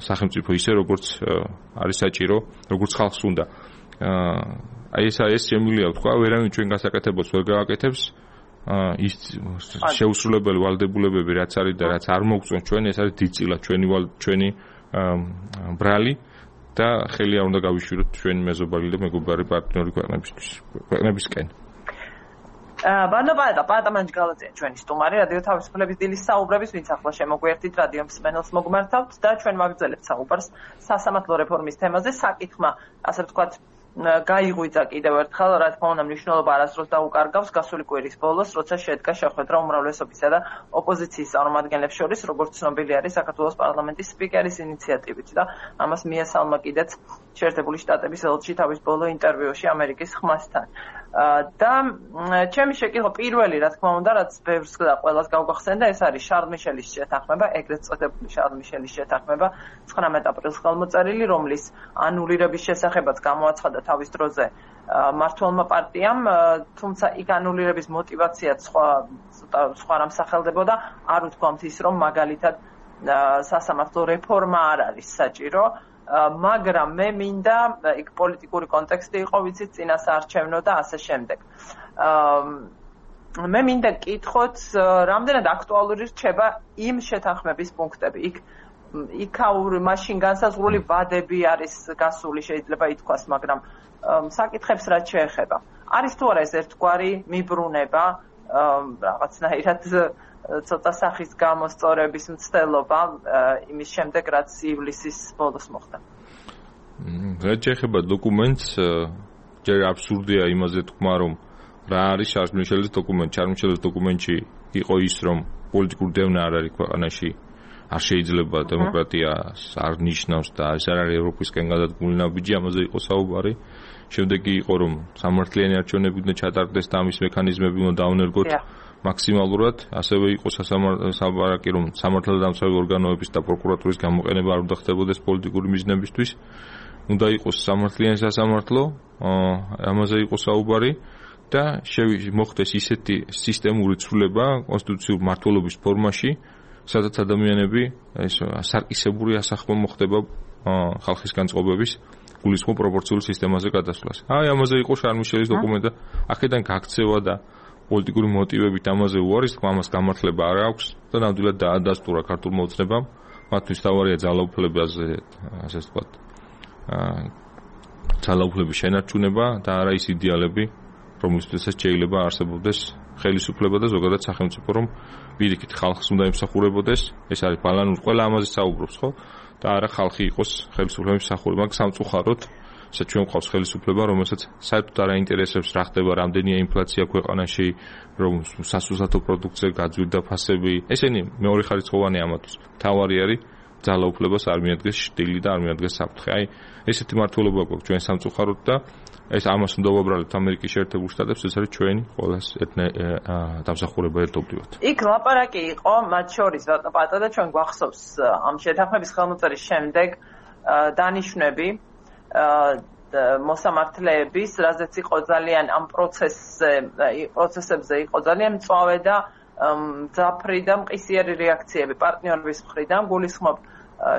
S2: სახელმწიფო ისე, როგორც არის საჭირო, როგორც ხალხს უნდა. აი ეს ეს შემიძლია ვთქვა, ვერავინ ჩვენ გასაკეთებელს ვერ გააკეთებს. ის შეუსრულებელი ვალდებულებები რაც არის და რაც არ მოგწონს ჩვენ, ეს არის დიდწილად ჩვენი ჩვენი ბრალი და ხელი არ უნდა გავიშვიროთ ჩვენი მეზობელი და მეგობარი პარტნიორი ქვეყნებისთვის ქვეყნებისკენ.
S1: ბანობა და პატამანჯ გალაძია ჩვენი სტუმარი რადიო თავისუფლების დილის საუბრების, ვინც ახლა შემოგვიერთით რადიო მსმენელს მოგმართავთ და ჩვენ ვაგრძელებთ საუბარს სასამართლო რეფორმის თემაზე. საკითხმა, ასე ვთქვათ, გაიღვიძა კიდევ ერთხელ, რა თქმა უნდა, მნიშვნელობა არასდროს დაუკარგავს გასული კვირის ბოლოს, როცა შედგა შეხვედრა უმრავლესობისა და ოპოზიციის წარმომადგენლებს შორის, როგორც ცნობილი არის საქართველოს პარლამენტის სპიკერის ინიციატივით და ამას მიესალმა კიდეც შეერთებული შტატების ელჩი თავის ბოლო ინტერვიუში ამერიკის ხმასთან. და ჩემი შეკითხვა პირველი, რა თქმა უნდა, რაც ბევრს და ყველას გავგახსენდა, ეს არის შარლ მიშელის შეთანხმება, ეგრეთ წოდებული შარლ მიშელის შეთანხმება ცხრამეტ აპრილს ხელმოწერილი, რომლის ანულირების შესახებაც გამოაცხადა თავის დროზე მმართველმა პარტიამ, თუმცა იქ ანულირების მოტივაციაც სხვა სხვა რამ სახელდებოდა, არ უთქვამთ ის, რომ მაგალითად სასამართლო რეფორმა არ არის საჭირო, მაგრამ მე მინდა იქ პოლიტიკური კონტექსტი იყო, ვიცით, წინასაარჩევნო და ასე შემდეგ. მე მინდა გკითხოთ, რამდენად აქტუალური რჩება იმ შეთანხმების პუნქტები. იქ იქაური მაშინ განსაზღვრული ვადები არის გასული, შეიძლება ითქვას, მაგრამ საკითხებს რაც შეეხება. არის თუ არა ეს ერთგვარი მიბრუნება, რაღაცნაირად ცოტა სახის გამოსწორების მცდელობა იმის შემდეგ, რაც ივლისის ბოლოს მოხდა.
S2: რაც შეეხება დოკუმენტს, ჯერ აბსურდია იმაზე თქვა, რომ რა არის შარლ მიშელის დოკუმენტი. შარლ მიშელის დოკუმენტში იყო ის, რომ პოლიტიკური დევნა არ არის ქვეყანაში, არ შეიძლება დემოკრატიას არ ნიშნავს და ეს არ არის ევროპისკენ გადადგმული ნაბიჯი, ამაზე იყო საუბარი. შემდეგი იყო, რომ სამართლიანი არჩევნები უნდა ჩატარდეს და ამის მექანიზმები უნდა დაუნერგოთ მაქსიმალურად, ასევე იყო სასამართლო, რომ სამართალდამცავი ორგანოების და პროკურატურის გამოყენება არ უნდა ხდებოდეს პოლიტიკური მიზნებისთვის. უნდა იყოს სამართლიანი სასამართლო, ამაზე იყო საუბარი და მოხდეს ისეთი სისტემური ცვლილება კონსტიტუციურ მმართველობის ფორმაში, სადაც ადამიანები ეს სარკისებური ასახვა მოხდება ხალხის განწყობების გულისხმობ პროპორციული სისტემაზე გადასვლას. აი, ამაზე იყო შარლ მიშელის დოკუმენტი და აქედან გაქცევა და პოლიტიკური მოტივებით ამაზე უარის თქმა, ამას გამართლება არ აქვს და ნამდვილად დაადასტურა ქართულ მოძნებამ. მათთვის თავარია ძალაუფლებაზე, ასე ვთქვათ, ძალაუფლების შენარჩუნება და არა ის იდეალები, რომლისთვისაც შეიძლება არსებობდეს ხელისუფლება და ზოგადად სახელმწიფო, რომ პირიქით ხალხს უნდა ემსახურებოდეს. ეს არის ბალანური, ყველა ამაზე საუბრობს, ხო? და არა ხალხი იყოს ხელისუფლების მსახური, მაგრამ სამწუხაროდ საერთოდ ჩვენ გვყავს ხელისუფლება, რომელსაც საერთოდ არ აინტერესებს რა ხდება, რამდენია ინფლაცია ქვეყანაში, რომ სასურსათო პროდუქტზე გაძვირდა ფასები. ესენი მეორე ხარისხოვანი ამათვის. თავარი არის ძალაუფლებას არ მიადგეს შტილი და არ მიადგეს საფრთხე. აი, ესეთი მართლობა გვაქვს ჩვენ სამწუხაროდ და ეს ამას უნდა ვაბრალებთ ამერიკის შეერთებულ შტატებს, ეს არის ჩვენი ყოველას ერთნაირ დამსახურება ერთობლივად.
S1: იქ ლაპარაკი იყო მათ შორის პატა და ჩვენ გვახსოვს ამ შეთანხმების ხელმოწერის შემდეგ დანიშვნები მოსამართლეების, რაზეც იყო ძალიან ამ პროცესზე, პროცესებზე იყო ძალიან მწვავე და მძაფრი და მყისიერი რეაქციები პარტნიორების მხრიდან, გულისხმობ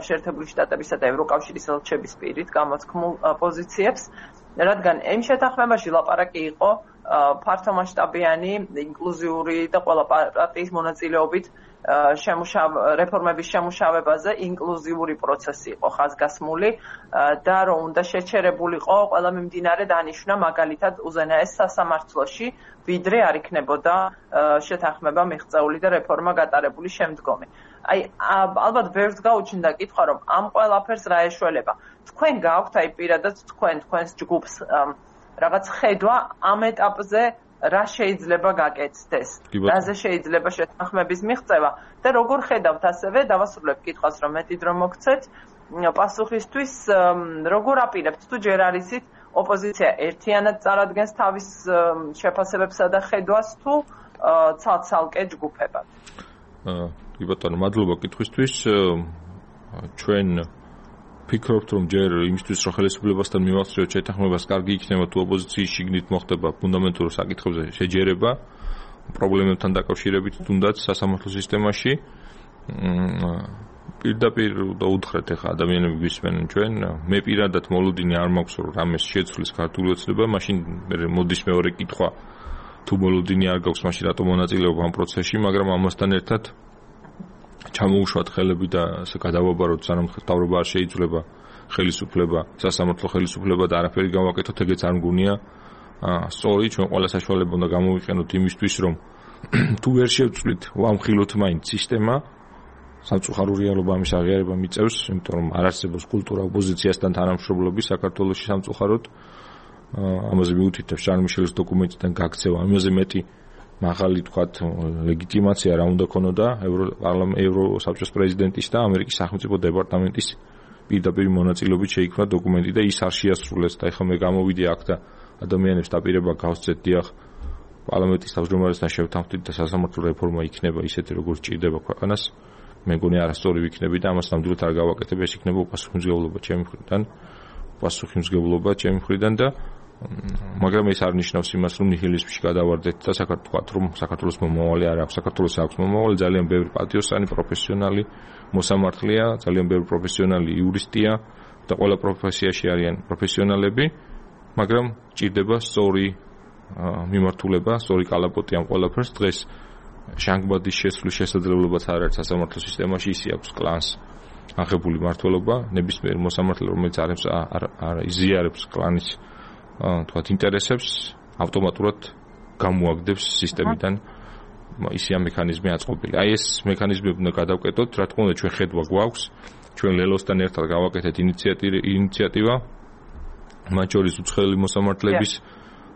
S1: შეერთებული შტატებისა და ევროკავშირის ელჩების პირით გამოთქმულ პოზიციებს, რადგან იმ შეთანხმებაში ლაპარაკი იყო ფართომასშტაბიანი, ინკლუზიური და ყველა პარტიის მონაწილეობით რეფორმების შემუშავებაზე ინკლუზიური პროცესი იყო ხაზგასმული და რომ უნდა შეჩერებულიყო ყველა მიმდინარე დანიშვნა, მაგალითად უზენაეს სასამართლოში, ვიდრე არ იქნებოდა შეთანხმება მიღწეული და რეფორმა გატარებული შემდგომი. აი, ალბათ ბევრს გაუჩნდა კითხვა, რომ ამ ყველაფერს რა ეშველება. თქვენ გაქვთ აი პირადად თქვენ თქვენს ჯგუფს რაღაც ხედვა ამ ეტაპზე რა შეიძლება გაკეთდეს, რაზე შეიძლება შეთანხმების მიღწევა და როგორ ხედავთ ასევე დავასრულებ კითხვას, რომ მეტი დრო მოგცეთ პასუხისთვის, როგორ აპირებთ თუ ჯერ არისით ოპოზიცია ერთიანად წარადგენს თავის შეფასებებსა და ხედვას თუ ცალ-ცალკე ჯგუფებად?
S2: კი ბატონო, მადლობა კითხვისთვის. ჩვენ ფიქრობთ, რომ ჯერ იმისთვის, რომ ხელისუფლებასთან მივახციოთ შეთანხმებას, კარგი იქნება თუ ოპოზიციის შიგნით მოხდება ფუნდამენტურ საკითხებზე შეჯერება პრობლემებთან დაკავშირებით, თუნდაც სასამართლო სისტემაში. პირდაპირ და უთხრეთ ახლა ადამიანები გვისმენენ ჩვენ, მე პირადად მოლოდინი არ მაქვს, რომ რამეს შეცვლის ქართული ოცნება, მაშინ მოდის მეორე კითხვა, თუ მოლოდინი არ გაქვს, მაშინ რატომ მონაწილეობ ამ პროცესში, მაგრამ ამასთან ერთად ჩამოუშვათ ხელები და ასე გადავაბაროთ, სანამ მთავრობა არ შეიცვლება ხელისუფლება, სასამართლო ხელისუფლება და არაფერი გავაკეთოთ, ეგეც არ მგონია სწორი. ჩვენ ყველა საშუალება უნდა გამოვიყენოთ იმისთვის, რომ თუ ვერ შევცვლით ვამხილოთ მაინც სისტემა, სამწუხარო რეალობა ამის აღიარება მიწევს, იმიტომ რომ არ არსებობს კულტურა ოპოზიციასთან თანამშრომლობის საქართველოში სამწუხაროდ. ამაზე მიუთითებს შარლ მიშელის დოკუმენტიდან გაქცევა, ამაზე მეტი მაღალი თქვათ ლეგიტიმაცია რა უნდა ქონოდა ევროსაბჭოს პრეზიდენტის და ამერიკის სახელმწიფო დეპარტამენტის პირდაპირ მონაწილეობით შეიქმნა დოკუმენტი და ის არ შეასრულეს და ეხლა მე გამოვიდე აქ და ადამიანებს დაპირება გავსცეთ დიახ პარლამენტის თავმჯდომარესთან შევთანხმდით და სასამართლო რეფორმა იქნება ისეთი როგორც ჭირდება ქვეყანას მე მგონი არასწორი ვიქნები და ამას ნამდვილად არ გავაკეთებ ეს იქნება უპასუხისმგებლობა ჩემი მხრიდან უპასუხისმგებლობა ჩემი მხრიდან და მაგრამ ეს არ ნიშნავს იმას რომ ნიჰილიზმში გადავარდეთ და საქართველოს რომ საქართველოს მომავალი არ აქვს საქართველოს აქვს მომავალი ძალიან ბევრი პატიოსანი პროფესიონალი მოსამართლეა ძალიან ბევრი პროფესიონალი იურისტია და ყველა პროფესიაში არიან პროფესიონალები მაგრამ ჭირდება სწორი მიმართულება სწორი კალაპოტი ამ ყველაფერს დღეს შანგბადის შესვლის შესაძლებლობაც არ არის სასამართლო სისტემაში ისი აქვს კლანს აღებული მართლობა ნებისმიერ მოსამართლე რომელიც არ იზიარებს კლანის თქვათ ინტერესებს ავტომატურად გამოაგდებს სისტემიდან ისია მექანიზმი აწყობილი. აი ეს მექანიზმები უნდა გადავკეთოთ, რა თქმა უნდა ჩვენ ხედვა გვაქვს, ჩვენ ლელოსთან ერთად გავაკეთეთ ინიციატივა, მათ შორის უცხოელი მოსამართლეების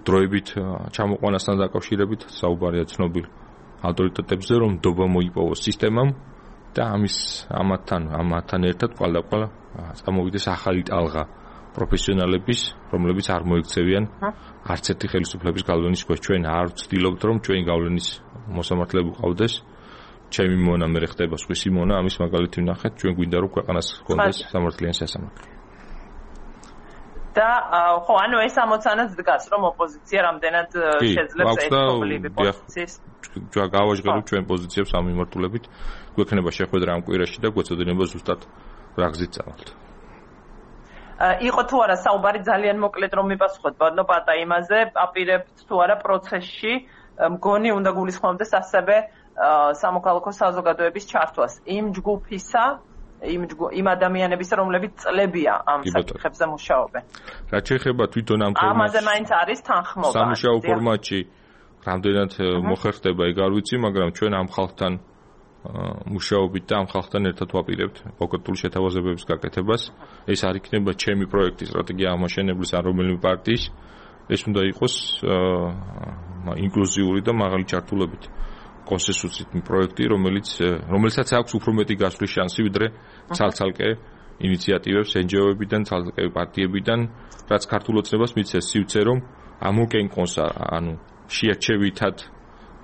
S2: დროებით ჩამოყვანასთან დაკავშირებით საუბარია ცნობილ ავტორიტეტებზე, რომ დობა მოიპოვოს სისტემამ და ამის ამათთან ამათთან ერთად ყალდაყვალ წამოვიდეს ახალი ტალღა პროფესიონალების, რომლებიც არ მოიქცევიან არც ერთი ხელისუფლების გავლენის ქვეშ. ჩვენ არ ვცდილობთ, რომ ჩვენი გავლენის მოსამართლეები ყავდეს. ჩემი მონა მე ხდება სხვისი მონა, ამის მაგალითი ვნახეთ, ჩვენ გვინდა რომ ქვეყანას ჰქონდეს სამართლიანი სასამართლო.
S1: და ხო, ანუ ეს ამოცანაც დგას, რომ ოპოზიცია რამდენად შეძლებს ერთობლივი პოზიციის.
S2: ჩვენ გავაჟღეროთ ჩვენ პოზიციებს ამ მიმართულებით. გვექნება შეხვედრა ამ კვირაში და გვეცოდინება ზუსტად რა გზით წავალთ.
S1: იყო თუ არა საუბარი ძალიან მოკლედ რომ მიპასუხოთ ბატონო პატა იმაზე აპირებთ თუ არა პროცესში მგონი უნდა გულისხმობდეს ასევე სამოქალაქო საზოგადოების ჩართვას იმ ჯგუფისა იმ იმ ადამიანების რომლებიც წლებია ამ საკითხებზე მუშაობენ.
S2: რაც შეეხება თვითონ ამ ფორმატს
S1: ამაზე მაინც არის თანხმობა.
S2: სამუშაო ფორმატში რამდენად მოხერხდება ეგ არ ვიცი, მაგრამ ჩვენ ამ ხალხთან მუშაობით და ამ ხალხთან ერთად ვაპირებთ კონკრეტული შეთავაზებების გაკეთებას. ეს არ იქნება ჩემი პროექტი სტრატეგია აღმაშენებლის ან რომელიმე პარტიის. ეს უნდა იყოს ინკლუზიური და მაღალი ჩართულობით კონსენსუსით პროექტი, რომელიც რომელსაც აქვს უფრო მეტი გასვლის შანსი ვიდრე ცალ-ცალკე ინიციატივებს ენ ჯი ო-ებიდან, ცალ-ცალკე პარტიებიდან, რაც ქართულ ოცნებას მიცეს სივცე, რომ ამოკენკონს ანუ შეარჩევითად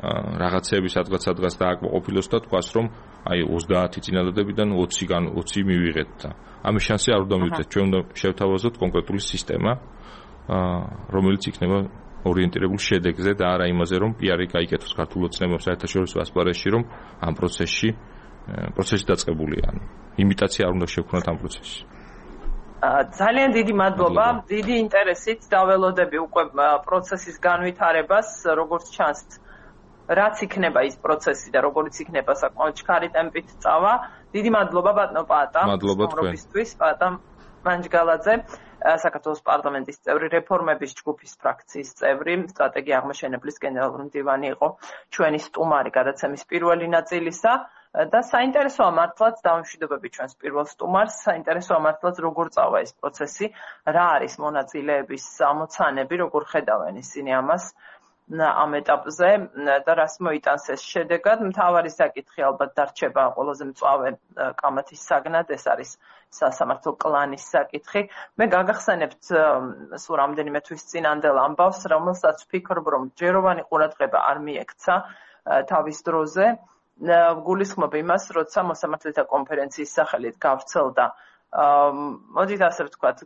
S2: რაღაცები სადღაც-სადღაც დააკმაყოფილოს და თქვას, რომ აი ოცდაათი წინადადებიდან ოცი-გან ოცი მივიღეთ და ამის შანსი არ უნდა მივიღეთ. ჩვენ უნდა შევთავაზოთ კონკრეტული სისტემა, რომელიც იქნება ორიენტირებული შედეგზე და არა იმაზე, რომ პიარი გაიკეთოს ქართულ ოცნებებს საერთაშორისო ასპარეზში, რომ ამ პროცესში პროცესი დაწყებულია. ანუ იმიტაცია არ უნდა შევქნათ ამ პროცესში.
S1: ძალიან დიდი მადლობა, დიდი ინტერესით დაველოდები უკვე პროცესის განვითარებას, როგორც ჩანს რაც იქნება ის პროცესი და როგორც იქნება საკმაოდ ჩქარი ტემპით წავა. დიდი მადლობა ბატონო პაატა სტუმრობისთვის, პაატა მანჯგალაძე, საქართველოს პარლამენტის წევრი, რეფორმების ჯგუფის ფრაქციის წევრი, სტრატეგია აღმაშენებლის გენერალური მდივანი იყო ჩვენი სტუმარი გადაცემის პირველი ნაწილისა და საინტერესოა მართლაც დავამშვიდობები ჩვენს პირველ სტუმარს, საინტერესოა მართლაც როგორ წავა ეს პროცესი, რა არის მონაწილეების ამოცანები, როგორ ხედავენ ისინი ამას. ამ ეტაპზე და რას მოიტანს ეს შედეგად. მთავარი საკითხი ალბათ დარჩება ყველაზე მწვავე კამათის საგნად, ეს არის სასამართლო კლანის საკითხი. მე გაგახსენებთ სულ რამდენიმე თვის წინანდელ ამბავს, რომელსაც ვფიქრობ, რომ ჯეროვანი ყურადღება არ მიექცა თავის დროზე. გულისხმობ იმას, როცა მოსამართლეთა კონფერენციის სახელით გავრცელდა, მოდით ასე ვთქვათ,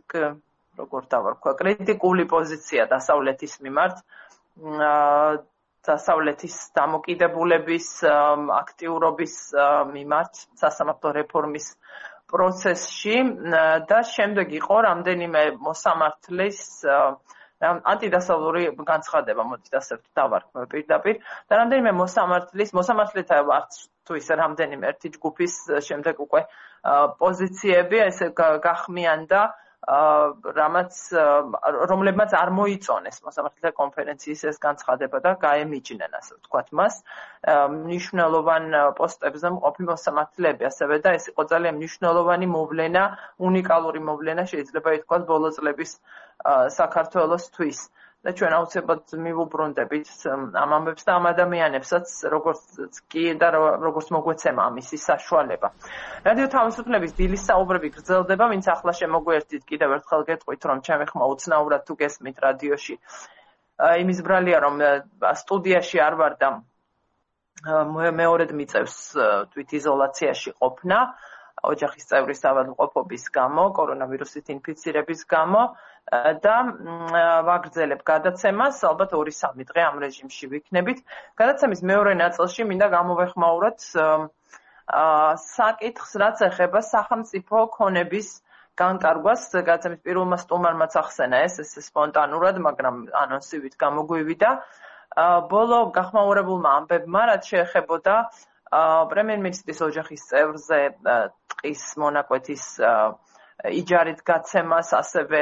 S1: როგორ დავარქვა, კრიტიკული პოზიცია დასავლეთის მიმართ. დასავლეთის დამოკიდებულების აქტიურობის მიმართ სასამართლო რეფორმის პროცესში და შემდეგ იყო რამდენიმე მოსამართლის ანტიდასავლური განცხადება, მოდით ასე დავარქმევ პირდაპირ და რამდენიმე მოსამართლის მოსამართლეთა არც თუ ისე რამდენიმე ერთი ჯგუფის შემდეგ უკვე პოზიციები ესე გახმიანდა რამაც რომლებმაც არ მოიწონეს მოსამართლეთა კონფერენციის ეს განცხადება და გაემიჯნენ ასე ვთქვათ მას მნიშვნელოვან პოსტებზე მყოფი მოსამართლეები ასევე და ეს იყო ძალიან მნიშვნელოვანი მოვლენა, უნიკალური მოვლენა შეიძლება ითქვას ბოლო წლების საქართველოსთვის და ჩვენ აუცილებლად მივუბრუნდებით ამ ამბებს და ამ ადამიანებსაც როგორც კი და როგორც მოგვეცემა ამისი საშუალება. რადიო თავისუფლების დილის საუბრები გრძელდება, ვინც ახლა შემოგვერთით კიდევ ერთხელ გეტყვით, რომ ჩემი ხმა უცნაურად თუ გესმით რადიოში. იმის ბრალია, რომ სტუდიაში არ ვარ და მეორედ მიწევს თვითიზოლაციაში ყოფნა. ოჯახის წევრის ავადმყოფობის გამო, კორონავირუსით ინფიცირების გამო და ვაგრძელებ გადაცემას, ალბათ ორი სამი დღე ამ რეჟიმში ვიქნებით. გადაცემის მეორე ნაწილში მინდა გამოვეხმაუროთ საკითხს, რაც ეხება სახელმწიფო ქონების განკარგვას. გადაცემის პირველმა სტუმარმაც ახსენა ეს, ეს სპონტანურად, მაგრამ ანონსივით გამოგვივიდა. ბოლო გახმაურებულმა ამბებმა, რაც შეეხებოდა პრემიერ-მინისტრის ოჯახის წევრზე ტყის მონაკვეთის იჯარით გაცემას, ასევე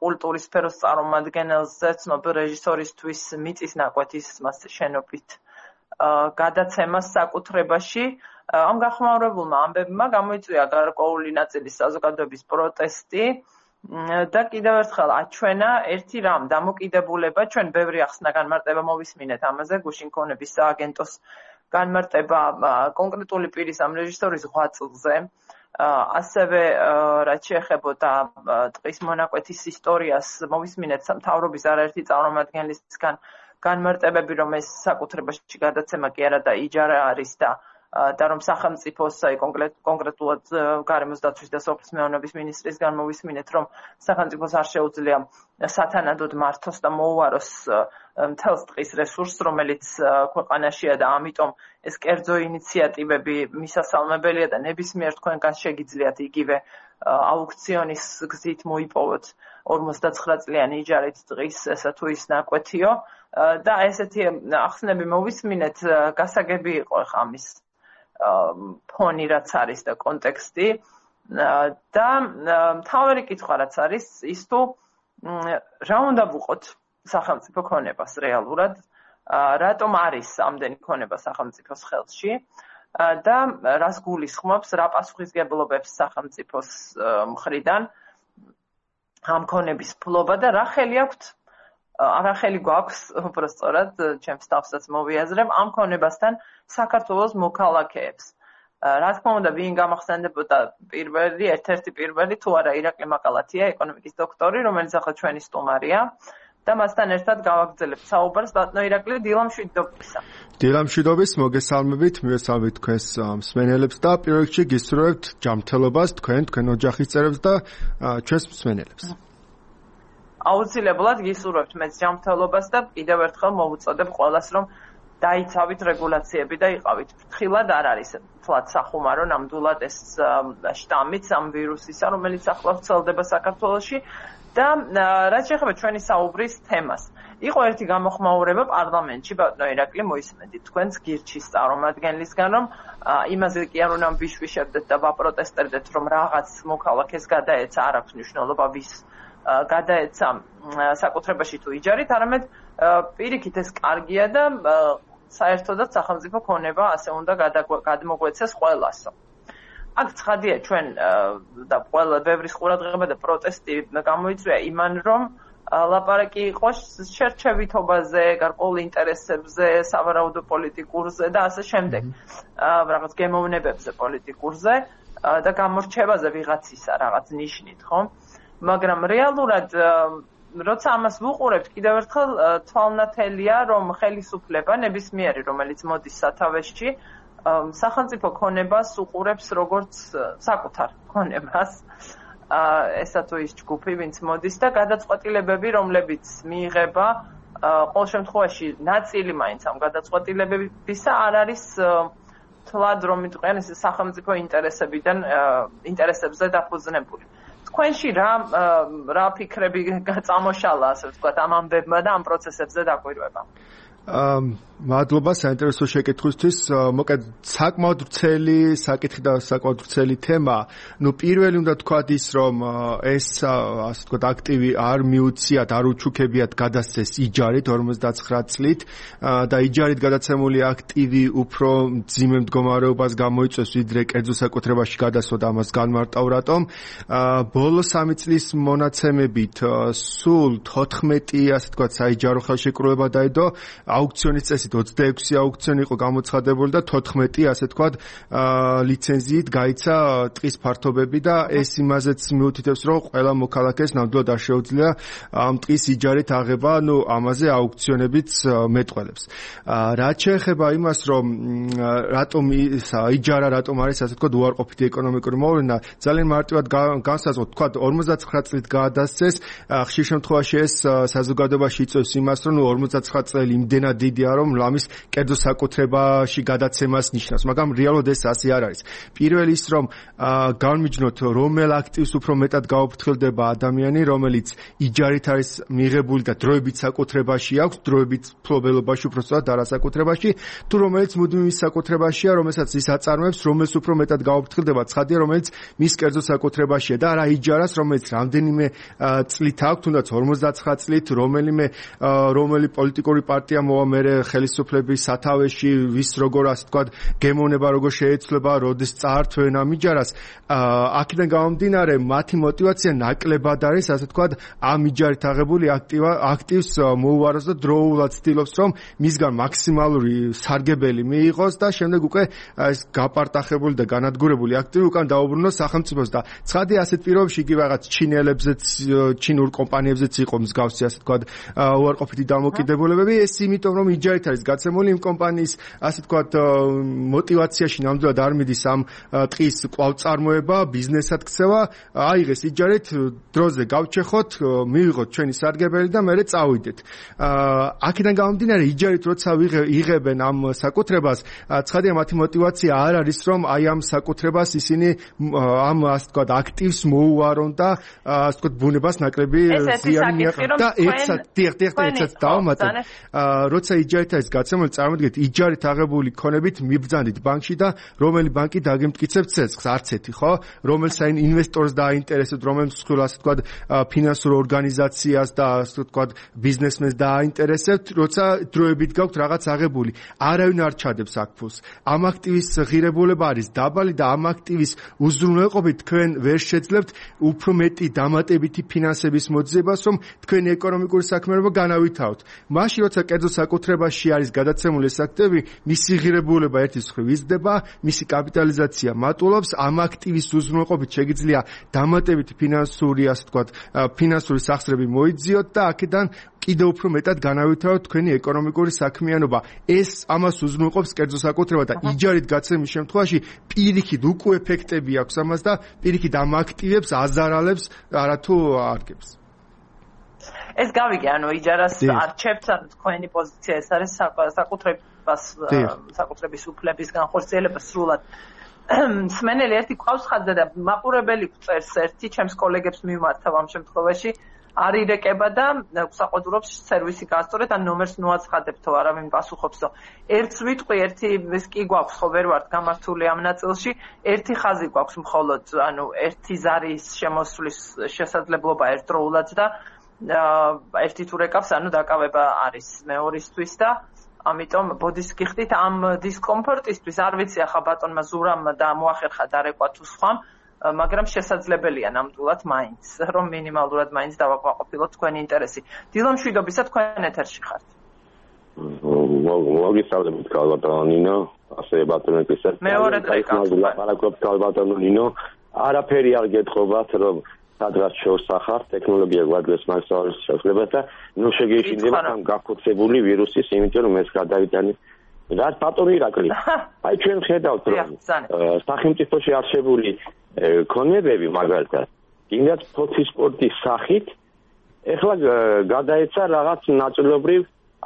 S1: კულტურის სფეროს წარმომადგენელზე, ცნობილ რეჟისორისთვის მიწის ნაკვეთის შენობით გადაცემას საკუთრებაში. ამ გახმაურებულმა ამბებმა გამოიწვია გარკვეული ნაწილის საზოგადოების პროტესტი და კიდევ ერთხელ აჩვენა ერთი რამ დამოკიდებულება, ჩვენ ბევრი ახსნა განმარტება მოვისმინეთ ამაზე, გუშინ ქონების სააგენტოს განმარტება კონკრეტული პირის ამ რეჟისორის ღვაწლზე, ასევე რაც შეეხებოდა ტყის მონაკვეთის ისტორიას, მოვისმინეთ მთავრობის არაერთი წარმომადგენლისგან განმარტებები, რომ ეს საკუთრებაში გადაცემა კი არა და იჯარა არის და და რომ სახელმწიფოს აი კონკრეტულად გარემოს დაცვის და სოფლის მეურნეობის მინისტრისგან მოვისმინეთ, რომ სახელმწიფოს არ შეუძლია სათანადოდ მართოს და მოუაროს მთელს ტყის რესურსს, რომელიც ქვეყანაშია და ამიტომ ეს კერძო ინიციატივები მისასალმებელია და ნებისმიერ თქვენგან შეგიძლიათ იგივე აუქციონის გზით მოიპოვოთ ორმოცდაცხრა წლიანი იჯარით ტყის ესა თუ ის ნაკვეთიო და ესეთი ახსნები მოვისმინეთ, გასაგები იყო ხა ამის ფონი რაც არის და კონტექსტი და მთავარი კითხვა რაც არის ის თუ რა უნდა ვუყოთ სახელმწიფო ქონებას რეალურად, რატომ არის ამდენი ქონება სახელმწიფოს ხელში და რას გულისხმობს, რა პასუხისგებლობებს სახელმწიფოს მხრიდან ამ ქონების ფლობა და რა ხელი აქვთ არა ხელი გვაქვს, უბრალოდ ჩემს თავსაც მოვიაზრებ ამ ქონებასთან საქართველოს მოქალაქეებს. რა თქმა უნდა, ვინ გამახსენდებოდა პირველი, ერთ-ერთი პირველი, თუ არა ირაკლი მაყალათია, ეკონომიკის დოქტორი, რომელიც ახლა ჩვენი სტუმარია და მასთან ერთად გავაგრძელებთ საუბარს. ბატონო ირაკლი, დილა მშვიდობისა.
S5: დილა მშვიდობის, მოგესალმებით, მივესალმებით თქვენს მსმენელებს და პირველ რიგში გისურვებთ ჯანმრთელობას თქვენ, თქვენ ოჯახის წევრებს და ჩვენს მსმენელებს.
S1: აუცილებლად გისურვებთ მეც ჯანმრთელობას და კიდევ ერთხელ მოვუწოდებ ყველას, რომ დაიცავით რეგულაციები და იყავით ფრთხილად. არ არის თლად სახუმარო ნამდვილად ეს შტამიც ამ ვირუსისა, რომელიც ახლა ვრცელდება საქართველოში და რაც შეეხება ჩვენი საუბრის თემას. იყო ერთი გამოხმაურება პარლამენტში, ბატონო ირაკლი, მოისმენთ თქვენს გირჩის წარმომადგენლისგან, რომ იმაზე კი არ უნდა ვიშვიშებდეთ და ვაპროტესტებდეთ, რომ რაღაც მოქალაქეს გადაეცა, არ აქვს მნიშვნელობა ვის გადაეცა საკუთრებაში თუ იჯარით, არამედ პირიქით ეს კარგია და საერთოდაც სახელმწიფო ქონება ასე უნდა გადმოგვეცეს ყველასო. აქ ცხადია ჩვენ და ყველა ბევრის ყურადღება და პროტესტი გამოიწვია იმან, რომ ლაპარაკი იყო შერჩევითობაზე, გარკვეულ ინტერესებზე, სავარაუდო პოლიტიკურზე და ასე შემდეგ. რაღაც გემოვნებებზე პოლიტიკურზე და გამორჩევაზე ვიღაცისა რაღაც ნიშნით, ხო? მაგრამ რეალურად როცა ამას ვუყურებთ, კიდევ ერთხელ თვალნათელია, რომ ხელისუფლება ნებისმიერი, რომელიც მოდის სათავეში, სახელმწიფო ქონებას უყურებს როგორც საკუთარ ქონებას. ესა თუ ის ჯგუფი, ვინც მოდის და გადაწყვეტილებები, რომლებიც მიიღება, ყოველ შემთხვევაში ნაწილი მაინც ამ გადაწყვეტილებებისა არ არის თლად რომ მიტყვიან ეს სახელმწიფო ინტერესებიდან ინტერესებზე დაფუძნებული. თქვენში რა რა ფიქრები წამოშალა, ასე ვთქვათ, ამ ამბებმა და ამ პროცესებზე დაკვირვება?
S5: მადლობა საინტერესო შეკითხვისთვის. მოკედ საკმაოდ ვრცელი საკითხი და საკმაოდ ვრცელი თემა. ნუ პირველი უნდა თქვათ ის, რომ ეს ასე ვთქვათ აქტივი არ მიუციათ, არ უჩუქებიათ გადასცეს იჯარით ორმოცდაცხრა წლით და იჯარით გადაცემული აქტივი უფრო მძიმე მდგომარეობას გამოიწვევს, ვიდრე კერძო საკუთრებაში გადასვა და ამას განმარტავ რატომ. ბოლო სამი წლის მონაცემებით სულ თოთხმეტი ასე ვთქვათ საიჯარო ხელშეკრულება დაედო, აუქციონის წესით ოცდაექვსი აუქციონი იყო გამოცხადებული და თოთხმეტი ასე ვთქვათ ლიცენზიით გაიცა ტყის ფართობები და ეს იმაზეც მიუთითებს, რომ ყველა მოქალაქეს ნამდვილად არ შეუძლია ამ ტყის იჯარით აღება, ნუ ამაზე აუქციონებიც მეტყველებს. რაც შეეხება იმას, რომ რატომ იჯარა, რატომ არის ასე ვთქვათ უარყოფითი ეკონომიკური მოვლენა, ძალიან მარტივად განსაზღვროთ, ვთქვათ ორმოცდაცხრა წლით გადასცეს, ხშირ შემთხვევაში ეს საზოგადოებაში იწვევს იმას, რომ ნუ ორმოცდაცხრა წელი იმდენად დიდია, რომ ამის კერძო საკუთრებაში გადაცემას ნიშნავს, მაგრამ რეალურად ეს ასე არ არის. პირველი ის, რომ განვიჯნოთ, რომელ აქტივს უფრო მეტად გაუფრთხილდება ადამიანი, რომელიც იჯარით არის მიღებული და დროებით საკუთრებაში აქვს, დროებით ფლობელობაში უბრალოდ არასაკუთრებაში, თუ რომელიც მუდმივ ის საკუთრებაშია, რომელსაც ის აწარმოებს, რომელს უფრო მეტად გაუფრთხილდება, ცხადია, რომელიც მის კერძო საკუთრებაშია და არა იჯარას, რომელიც რამდენიმე წლით აქვს, თუნდაც ორმოცდაცხრა წლით, რომელიმე რომელი პოლიტიკური პარტია მოვა მერე ხელისუფლების სათავეში, ვის როგორ ასე ვთქვათ გემოვნება როგორ შეეცვლება, როდის წაართვენ ამ იჯარას. აქედან გამომდინარე, მათი мотиваცია ნაკლებად არის, ასე ვთქვათ, ამ იჯარით აღებული აქტივს მოუაროს და დროულად ცდილობს, რომ მისგან მაქსიმალური სარგებელი მიიღოს და შემდეგ უკვე ეს გაპარტახებული და განადგურებული აქტივი უკან დაუბრუნოს სახელმწიფოს და ცხადია ასეთ პირობებში იგი რაღაც ჩინელებზეც, ჩინურ კომპანიებზეც იყო მსგავსი ასე ვთქვათ უარყოფითი დამოკიდებულებები, ეს იმიტომ რომ იჯარით არის გაცემული იმ კომპანიის ასე ვთქვათ мотиваციაში ნამდვილად არ მიდის ამ ტყის კვლავწარმოება, ბიზნესად ქცევა, აიღეს იჯარით, დროზე გავჩეხოთ, მივიღოთ ჩვენი სარგებელი და მერე წავიდეთ. აქედან გამომდინარე, იჯარით როცა იღებენ ამ საკუთრებას, ცხადია მათი мотиваცია არ არის, რომ აი ამ საკუთრებას ისინი ამ ასე ვთქვათ აქტივს მოუარონ და ასე ვთქვათ ბუნებას ნაკლები ზიანი მიაყენონ და ერთად, დიახ, დიახ, ერთად დავამატებ. როცა იჯარით არის გაცემული, წარმოგიდგენთ, იჯარით აღებული ქონებით მიბრძანდით ბანკში და რომელი ბანკი დაგემტკიცებთ ცეცხლს, არც ერთი, ხო? რომელ საინ ინვესტორს დააინტერესებთ, რომელ მსხვილ ასე ვთქვათ ფინანსურ ორგანიზაციას და ასე ვთქვათ ბიზნესმენს დააინტერესებთ, როცა დროებით გაქვთ რაღაც აღებული. არავინ არ ჩადებს აქ ფულს. ამ აქტივის ღირებულება არის დაბალი და ამ აქტივის უზრუნველყოფით თქვენ ვერ შეძლებთ უფრო მეტი დამატებითი ფინანსების მოძიებას, რომ თქვენი ეკონომიკური საქმიანობა განავითაროთ. მაშინ როცა კერძო საკუთრებაში არის გადაცემული ეს აქტივი, მისი ღირებულება ერთის მხრივ იზრდება, მისი კაპიტალიზაცია მატულობს, ამ აქტივის უზრუნველყოფით შეგიძლია დამატებითი ფინანსური, ასე ვთქვათ, ფინანსური სახსრები მოიძიოთ და აქედან კიდევ უფრო მეტად განავითაროთ თქვენი ეკონომიკური საქმიანობა. ეს ამას უზრუნველყოფს კერძო საკუთრება და იჯარით გაცემის შემთხვევაში პირიქით უკვე ეფექტები აქვს ამას და პირიქით ამ აქტივებს აზარალებს, არათუ არგებს.
S1: ეს გავიგე, ანუ იჯარას არჩევთ, ანუ თქვენი პოზიცია ეს არის საკუთრებას, საკუთრების უფლების განხორციელება სრულად. მსმენელი ერთი ყავს ხაზზე და მაყურებელი წერს ერთი ჩემს კოლეგებს მიმართავ ამ შემთხვევაში არ ირეკება და საყოველთაოდ სერვისი გასწორეთ ან ნომერს ნუაცხადებ თუ არავინ პასუხობსო. ერთს ვიტყვი, ერთი ეს კი გვაქვს, ხო ვერ ვართ გამართული ამ ნაწილში, ერთი ხაზი გვაქვს მხოლოდ, ანუ ერთი ზარის შემოსვლის შესაძლებლობა ერთდროულად და ერთი თუ რეკავს, ანუ დაკავება არის მეორისთვის და ამიტომ ბოდის გიხდით ამ დისკომფორტისთვის, არ ვიცი ახლა ბატონმა ზურამ და მოახერხა დარეკვა თუ სხვამ, მაგრამ შესაძლებელია ნამდვილად მაინც, რომ მინიმალურად მაინც დავაკმაყოფილოთ თქვენი ინტერესი. დილო მშვიდობისა, თქვენ ეთერში ხართ.
S3: მოგესალმებით ბატონო ნინო, ასე ბატონო კისერ.
S1: მეორე დღე
S3: ლაპარაკობთ ბატონო ნინო, არაფერი არ გეთხოვათ, რომ სადღაც შევსახართ, ტექნოლოგია გვაძლევს მაგალითად შესაძლებლობას და ნუ შეგეშინდება ამ გაქოცებული ვირუსის, იმიტომ რომ ეს გადაიტანეს. რა ბატონო ირაკლი? აი ჩვენ ხედავთ, რომ სახელმწიფოში არსებული ქონებები მაგალითად, იმათ ფოთის სპორტის სახით, ეხლა გადაეცა რაღაც ნაწილობრივ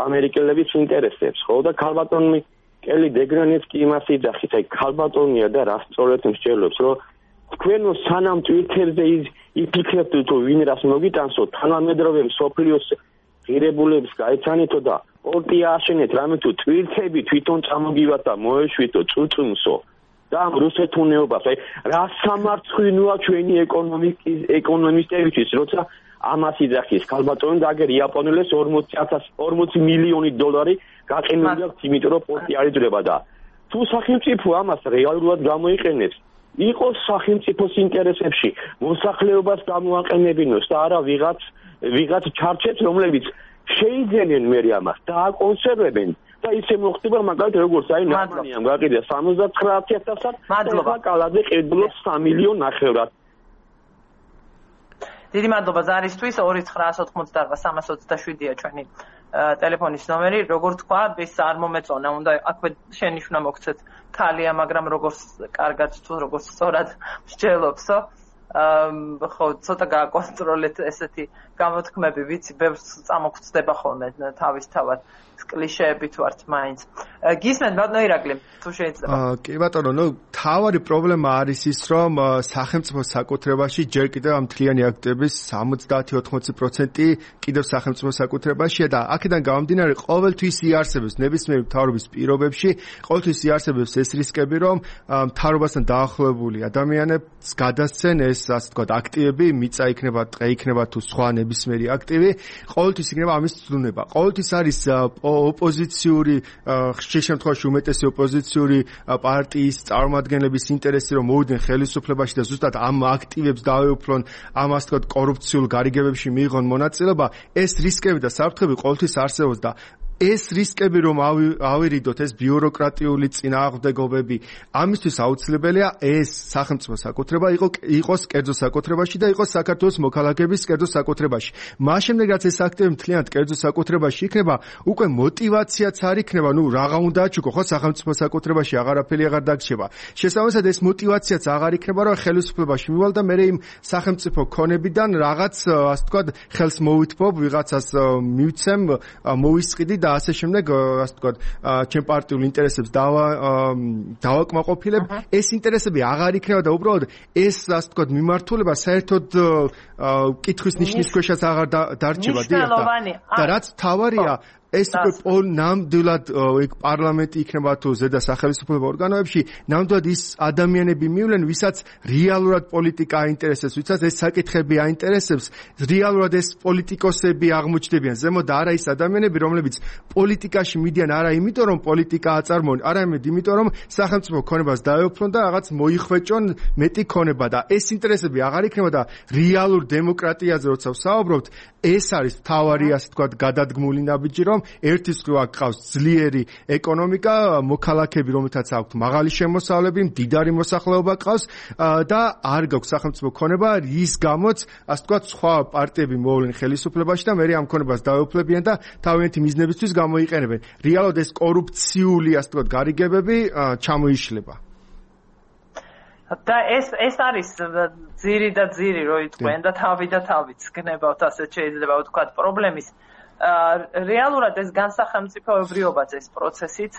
S3: ამერიკელების ინტერესებს, ხო და ქალბატონი კელი დეგრანეცკი იმას იძახით, აი ქალბატონია და რა სწორედ მსჯელობს, რომ თქვენო სანამ ტვიტერზე იფიქრებთ თუ ვინ რას მოგიტანსო, თანამედროვე მსოფლიოს ღირებულებს გაეცანითო და პორტი აშენეთ, რამე თუ თვირთები თვითონ წამოგივათ და მოეშვიდო წუწუნსო და ამ რუსეთუნეობას, აი რა სამარცხვინოა ჩვენი ეკონომიკის ეკონომისტებისთვის, როცა ამას იძახის ქალბატონი და აგერ იაპონელებს ორმოცი მილიონი დოლარი გაყენული აქვს, იმიტომ რომ პორტი არ იძლევა და თუ სახელმწიფო ამას რეალურად გამოიყენებს, იყოს სახელმწიფოს ინტერესებში, მოსახლეობას გამოაყენებინოს და არა ვიღაც ვიღაც ჩარჩებს, რომლებიც შეიძენენ მე ამას და აკონსერვებენ და ისე მოხდება მაგალითად როგორც აი ნამანიამ გაყიდა სამოცდათხრა ათასად და კალაძე ყიდულობს სამი მილიონ ნახევრად.
S1: დიდი მადლობა ზარისთვის. ორი ცხრაას ოთხმოცდაარბა სამას ოცდაშვიდია ჩვენი ტელეფონის ნომერი. Როგორ თქვა, ეს არ მომეწონა, უნდა აქვე შენიშვნა მოგცეთ ქალია, მაგრამ როგორც კარგად თუ როგორც სწორად მსჯელობსო. ხო, ცოტა გააკონტროლეთ ესეთი გამოთქმები, ვიცი, ბევრს წამოგწდება ხოლმე თავისთავად კლიშეებით ვართ მაინც. გისმენთ ბატონო ირაკლი, თუ შეიძლება.
S5: კი ბატონო, ნუ თავარი პრობლემა არის ის, რომ სახელმწიფოს საკუთრებაში ჯერ კიდევ ამ მთლიანი აქტების სამოცდაათი ოთხმოცი პროცენტი კიდევ სახელმწიფოს საკუთრებაშია და აქედან გამომდინარე ყოველთვის იარსებებს ნებისმიერ მთავრობის პირობებში, ყოველთვის იარსებებს ეს რისკები, რომ მთავრობასთან დაახლოებული ადამიანებს გადასცენ ეს ასე ვთქვათ აქტივები, მიწა იქნება, ტყე იქნება თუ სხვა ნებისმიერი აქტივი, ყოველთვის იქნება ამის ცდუნება. ყოველთვის არის ოპოზიციური, ხშირ შემთხვევაში უმეტესი ოპოზიციური პარტიის წარმომადგენლების ინტერესი, რომ მოვიდნენ ხელისუფლებაში და ზუსტად ამ აქტივებს დაეუფლონ, ამ ასე ვთქვათ კორუფციულ გარიგებებში მიიღონ მონაწილეობა, ეს რისკები და საფრთხები ყოველთვის არსებობს და ეს რისკები რომ ავირიდოთ, ეს ბიუროკრატიული წინააღმდეგობები, ამისთვის აუცილებელია ეს სახელმწიფო საკუთრება იყოს კერძო საკუთრებაში და იყოს საქართველოს მოქალაქეების კერძო საკუთრებაში. მას შემდეგ რაც ეს აქტივი მთლიანად კერძო საკუთრებაში იქნება, უკვე мотиваციაც არ იქნება, ნუ რაღა უნდა აჩუქო, ხო, სახელმწიფო საკუთრებაში აღარაფერი აღარ დაგრჩება. შესაბამისად ეს мотиваციაც აღარ იქნება, რომ ხელისუფლებაში მივალ და მე იმ სახელმწიფო ქონებიდან რაღაც, ასე ვთქვათ, ხელს მოვითმობ, ვიღაცას მივცემ, მოვისყიდი და ასე შემდეგ, ასე ვთქვათ, ჩემ პარტიულ ინტერესებს დავა დავაკმაყოფილებ, ეს ინტერესები აღარ იქნება და უბრალოდ ეს, ასე ვთქვათ, მიმართულება საერთოდ კითხვის ნიშნის ქვეშაც აღარ დარჩება და რაც თავარია ეს უკვე ნამდვილად ეგ პარლამენტი იქნება თუ ზედა სახელმწიფო ორგანოებში, ნამდვილად ის ადამიანები მივლენ, ვისაც რეალურად პოლიტიკა აინტერესებს, ვისაც ეს საკითხები აინტერესებს, რეალურად ეს პოლიტიკოსები აღმოჩნდებიან ზემოთ და არა ის ადამიანები, რომლებიც პოლიტიკაში მიდიან არა იმიტომ, რომ პოლიტიკა აწარმოონ, არამედ იმიტომ, რომ სახელმწიფო ქონებას დაეუფლონ და რაღაც მოიხვეჭონ მეტი ქონება და ეს ინტერესები აღარ იქნება და რეალურ დემოკრატიაზე როცა ვსაუბრობთ, ეს არის თავარი, ასე ვთქვათ, გადადგმული ნაბიჯი, რომ ერთის მხრივ აქ ყავს ძლიერი ეკონომიკა, მოქალაქეები, რომელთაც აქვთ მაღალი შემოსავლები, მდიდარი მოსახლეობა ყავს და არ გაქვს სახელმწიფო ქონება, რის გამოც, ასე ვთქვათ, სხვა პარტიები მოვლენ ხელისუფლებაში და მე ამ ქონებას დაეუფლებიან და თავიანთი მიზნებისთვის გამოიყენებენ. რეალურად ეს კორუფციული, ასე ვთქვათ, გარიგებები ჩამოიშლება.
S1: და ეს ეს არის ძირი და ძირი რო იტყვენ და თავი და თავიც გნებავთ, ასე შეიძლება ვთქვათ, პრობლემის რეალურად ეს განსახელმწიფოებრიობაც ეს პროცესიც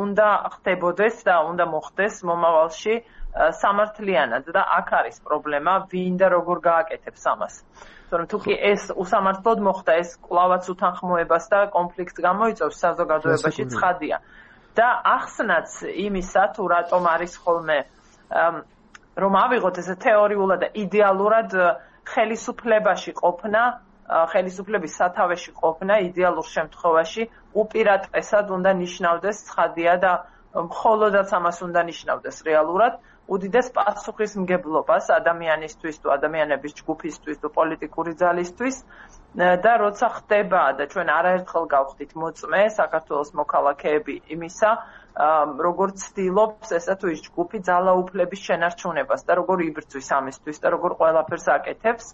S1: უნდა ხდებოდეს და უნდა მოხდეს მომავალში სამართლიანად და აქ არის პრობლემა, ვინ და როგორ გააკეთებს ამას. თორემ თუ კი ეს უსამართლოდ მოხდა, ეს კვლავაც უთანხმოებას და კონფლიქტს გამოიწვევს საზოგადოებაში, ცხადია. და ახსნაც იმისა, თუ რატომ არის ხოლმე რომ ავიღოთ ესე თეორიულად და იდეალურად ხელისუფლებაში ყოფნა, ხელისუფლების სათავეში ყოფნა იდეალურ შემთხვევაში უპირატესად უნდა ნიშნავდეს, ცხადია და მხოლოდაც ამას უნდა ნიშნავდეს რეალურად უდიდეს პასუხისმგებლობას ადამიანისთვის თუ ადამიანების ჯგუფისთვის თუ პოლიტიკური ძალისთვის და როცა ხდება და ჩვენ არაერთხელ გავხდით მოწმე საქართველოს მოქალაქეები იმისა, როგორც ცდილობს ესა თუ ის ჯგუფი ძალაუფლების შენარჩუნებას და როგორ იბრძვის ამისთვის და როგორ ყველაფერს აკეთებს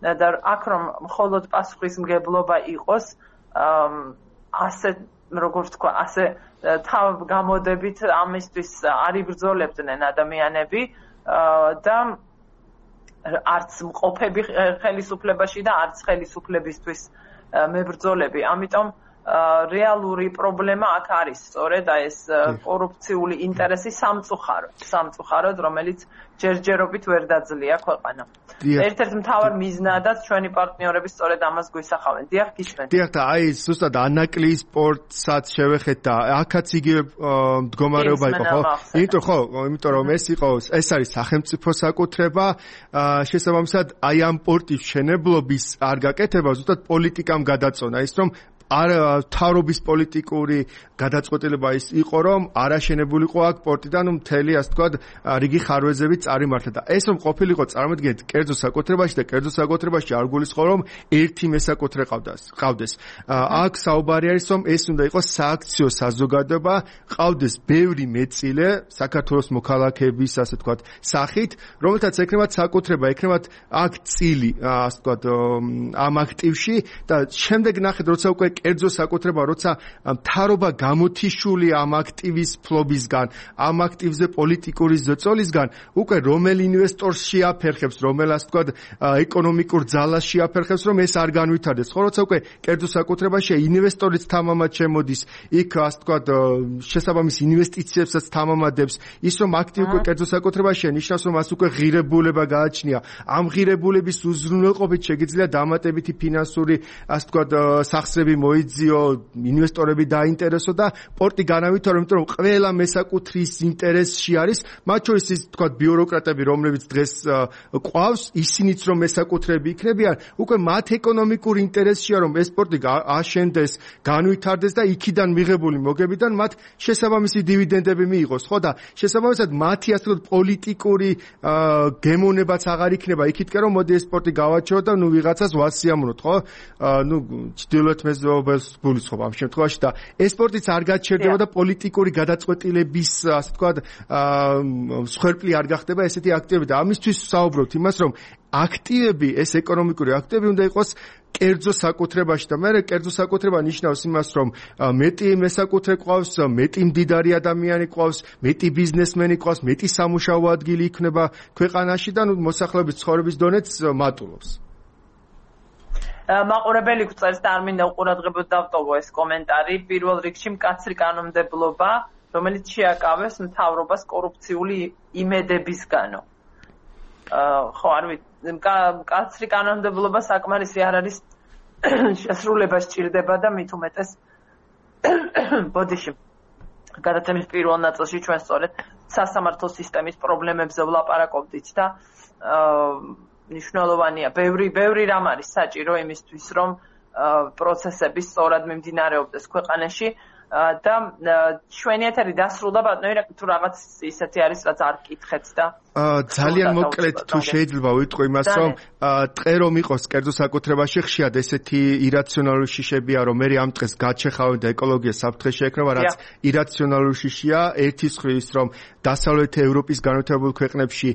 S1: და აქ რომ მხოლოდ პასუხისმგებლობა იყოს ასე როგორც თქვა, ასე თავ გამოდებით ამისთვის არ იბრძოლებდნენ ადამიანები და არც მყოფები ხელისუფლებაში და არც ხელისუფლებისთვის მებრძოლები. ამიტომ რეალური პრობლემა აქ არის სწორედ აი ეს კორუფციული ინტერესი სამწუხაროდ სამწუხაროდ რომელიც ჯერჯერობით ვერ დაძლია ქვეყანა. ერთ-ერთ მთავარ მიზნადაც ჩვენი პარტნიორები სწორედ ამას გვისახავენ. დიახ, გისმენთ.
S5: დიახ, და აი ზუსტად ანაკლიის სპორტსაც შევეხეთ და აქაც იგივე მდგომარეობა იყო, ხო? იმიტომ ხო, იმიტომ რომ ეს იყო ეს არის სახელმწიფო საკუთრება, შესაბამისად აი ამ პორტის მშენებლობის არ გაკეთება ზუსტად პოლიტიკამ გადაწონა ის რომ არ თავრობის პოლიტიკური გადაწყვეტილება ის იყო რომ არაშენებულიყო აქ პორტი და ნუ მთელი ასე ვთქვათ რიგი ხარვეზებით წარიმართა და ეს რომ ყოფილიყო წარმოიდგინეთ კერძო საკუთრებაში და კერძო საკუთრებაში არ გულისხმობ რომ ერთი მესაკუთრე ყავდეს ყავდეს აქ საუბარი არის რომ ეს უნდა იყოს სააქციო საზოგადოება ყავდეს ბევრი მეწილე საქართველოს მოქალაქეების ასე ვთქვათ სახით რომელთაც ექნებათ საკუთრება ექნებათ აქ წილი ასე ვთქვათ ამ აქტივში და შემდეგ ნახეთ როცა უკვე კერძო საკუთრება როცა მთავრობა გამოთიშული ამ აქტივის ფლობისგან ამ აქტივზე პოლიტიკური ზოწოლისგან უკვე რომელ ინვესტორს შეაფერხებს რომელ ასე ვთქვათ ეკონომიკურ ძალას შეაფერხებს რომ ეს არ განვითარდეს ხო როცა უკვე კერძო საკუთრებაში ინვესტორიც თამამად შემოდის იქ ასე ვთქვათ შესაბამის ინვესტიციებსაც თამამადებს ის რომ აქტივი უკვე კერძო საკუთრებაშია ნიშნავს რომ მას უკვე ღირებულება გააჩნია ამ ღირებულების უზრუნველყოფით შეგიძლია დამატებითი ფინანსური ასე ვთქვათ სახსრები მოიძიო ინვესტორები დაინტერესო და პორტი განავითარო იმიტომ რომ ყველა მესაკუთრის ინტერესში არის მათ შორის ის თქვა ბიუროკრატები რომლებიც დღეს ყვავს ისინიც რომ მესაკუთრები იქნებიან უკვე მათ ეკონომიკურ ინტერესშია რომ ეს პორტი აშენდეს განვითარდეს და იქიდან მიღებული მოგებიდან მათ შესაბამისი დივიდენდები მიიღოს ხო და შესაბამისად მათი ასე ვთქვათ პოლიტიკური გემოვნებაც აღარ იქნება იქითკენ რომ მოდი ეს პორტი გავაჩეროთ და ნუ ვიღაცას ვასიამოვნოთ ხო ნუ ჩრდილოეთ მეზობელს გულისხმობ ამ შემთხვევაში და ეს სპორტიც არ გაჩერდება და პოლიტიკური გადაწყვეტილების ასე ვთქვათ სხერპლი არ გახდება ესეთი აქტივები და ამისთვის საუბრობთ იმას რომ აქტივები ეს ეკონომიკური აქტივები უნდა იყოს კერძო საკუთრებაში და მე კერძო საკუთრება ნიშნავს იმას რომ მეტი მესაკუთრე ყავს მეტი მდიდარი ადამიანი ყავს მეტი ბიზნესმენი ყავს მეტი სამუშაო ადგილი იქნება ქვეყანაში და ნუ მოსახლეობის ცხოვრების დონეც მატულობს
S1: მაყურებელი გვწერს და არ მინდა უყურადღებოდ დავტოვო ეს კომენტარი პირველ რიგში მკაცრი კანონმდებლობა რომელიც შეაკავეს მთავრობას კორუფციული იმედებისგანო ხო არ ვიცი მკაცრი კანონმდებლობა საკმარისი არ არის შესრულება სჭირდება და მით უმეტეს ბოდიში გადაცემის პირველ ნაწილში ჩვენ სწორედ სასამართლო სისტემის პრობლემებზე ვლაპარაკობდით და ნიშნულოვანია ბევრი ბევრი რამ არის საჭირო იმისთვის რომ პროცესები სწორად მიმდინარეობდეს ქვეყანაში და ჩვენი ეთერი დასრულდა ბატონო თუ რაღაც ისეთი არის რაც არ გკითხეთ და
S5: ძალიან მოკლედ თუ შეიძლება ვიტყვი იმას რომ ტყე რომ იყოს კერძო საკუთრებაში ხშირად ესეთი ირაციონალური შიშებია რომ მე ამ ტყეს გაჩეხავენ და ეკოლოგია საფრთხე შეექმნება რაც ირაციონალური შიშია ერთის ხრის რომ დასავლეთ ევროპის განვითარებულ ქვეყნებში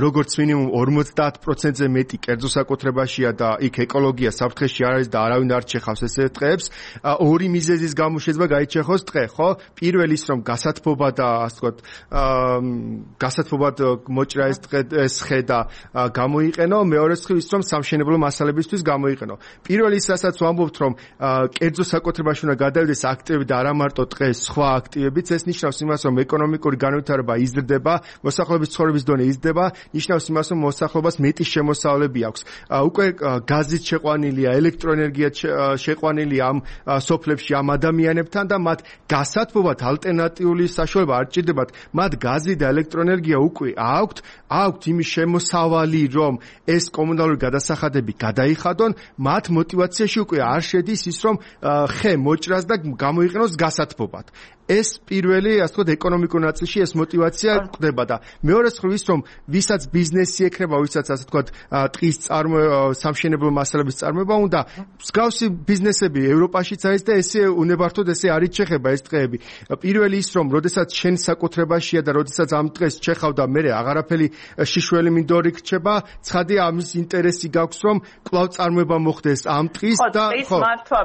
S5: როგორც მინიმუმ ორმოცდაათ პროცენტზე მეტი კერძო საკუთრებაშია და იქ ეკოლოგია საფრთხეში არ არის და არავინ არ ჩეხავს ესეთ ტყეებს ორი მიზეზის გამო შეიძლება გაიჩეხოს ტყე ხო პირველი ის რომ გასათბობა და ასე ვთქვათ გასათბობად მოჭრა ეს ტყე ეს ხე და გამოიყენო მეორე ის რომ სამშენებლო მასალებისთვის გამოიყენო პირველი ის რასაც ვამბობთ რომ კერძო საკუთრებაში უნდა გადავიდეს აქტივები და არა მარტო ტყეს სხვა აქტივებიც ეს ნიშნავს იმას რომ ეკონომიკური განვითარება იზრდება მოსახლეობის ცხოვრების დონე იზრდება ნიშნავს იმას რომ მოსახლეობას მეტი შემოსავლები აქვს უკვე გაზით შეყვანილია ელექტროენერგიად შეყვანილია ამ სოფლებში ამ ადამიანებთან და მათ გასათბობად ალტერნატიული საშუალება არ ჭირდებათ მათ გაზი და ელექტროენერგია უკვე აქვთ აქვთ იმის შემოსავალი რომ ეს კომუნალური გადასახადები გადაიხადონ მათ მოტივაციაში უკვე არ შედის ის რომ ხე მოჭრას და გამოიყენოს გასათბობად ეს პირველი ასე ვთქვათ ეკონომიკურ ნაწილში ეს მოტივაცია ყდება და მეორე მხრივ ის რომ ვისაც ბიზნესი ექნება ვისაც ასე ვთქვათ ტყის წარმოება სამშენებლო მასალების წარმოება უნდა მსგავსი ბიზნესები ევროპაშიც არის და ესე უნებართოდ ესე არ იჩეხება ეს ტყეები პირველი ის რომ როდესაც შენ საკუთრებაშია და როდესაც ამ ტყეს ჩეხავ და მე აღარაფერი შიშველი მინდორი რჩება ცხადია ამის ინტერესი გაქვს რომ კვლავ წარმოება მოხდეს ამ ტყის და
S1: ხო მართლა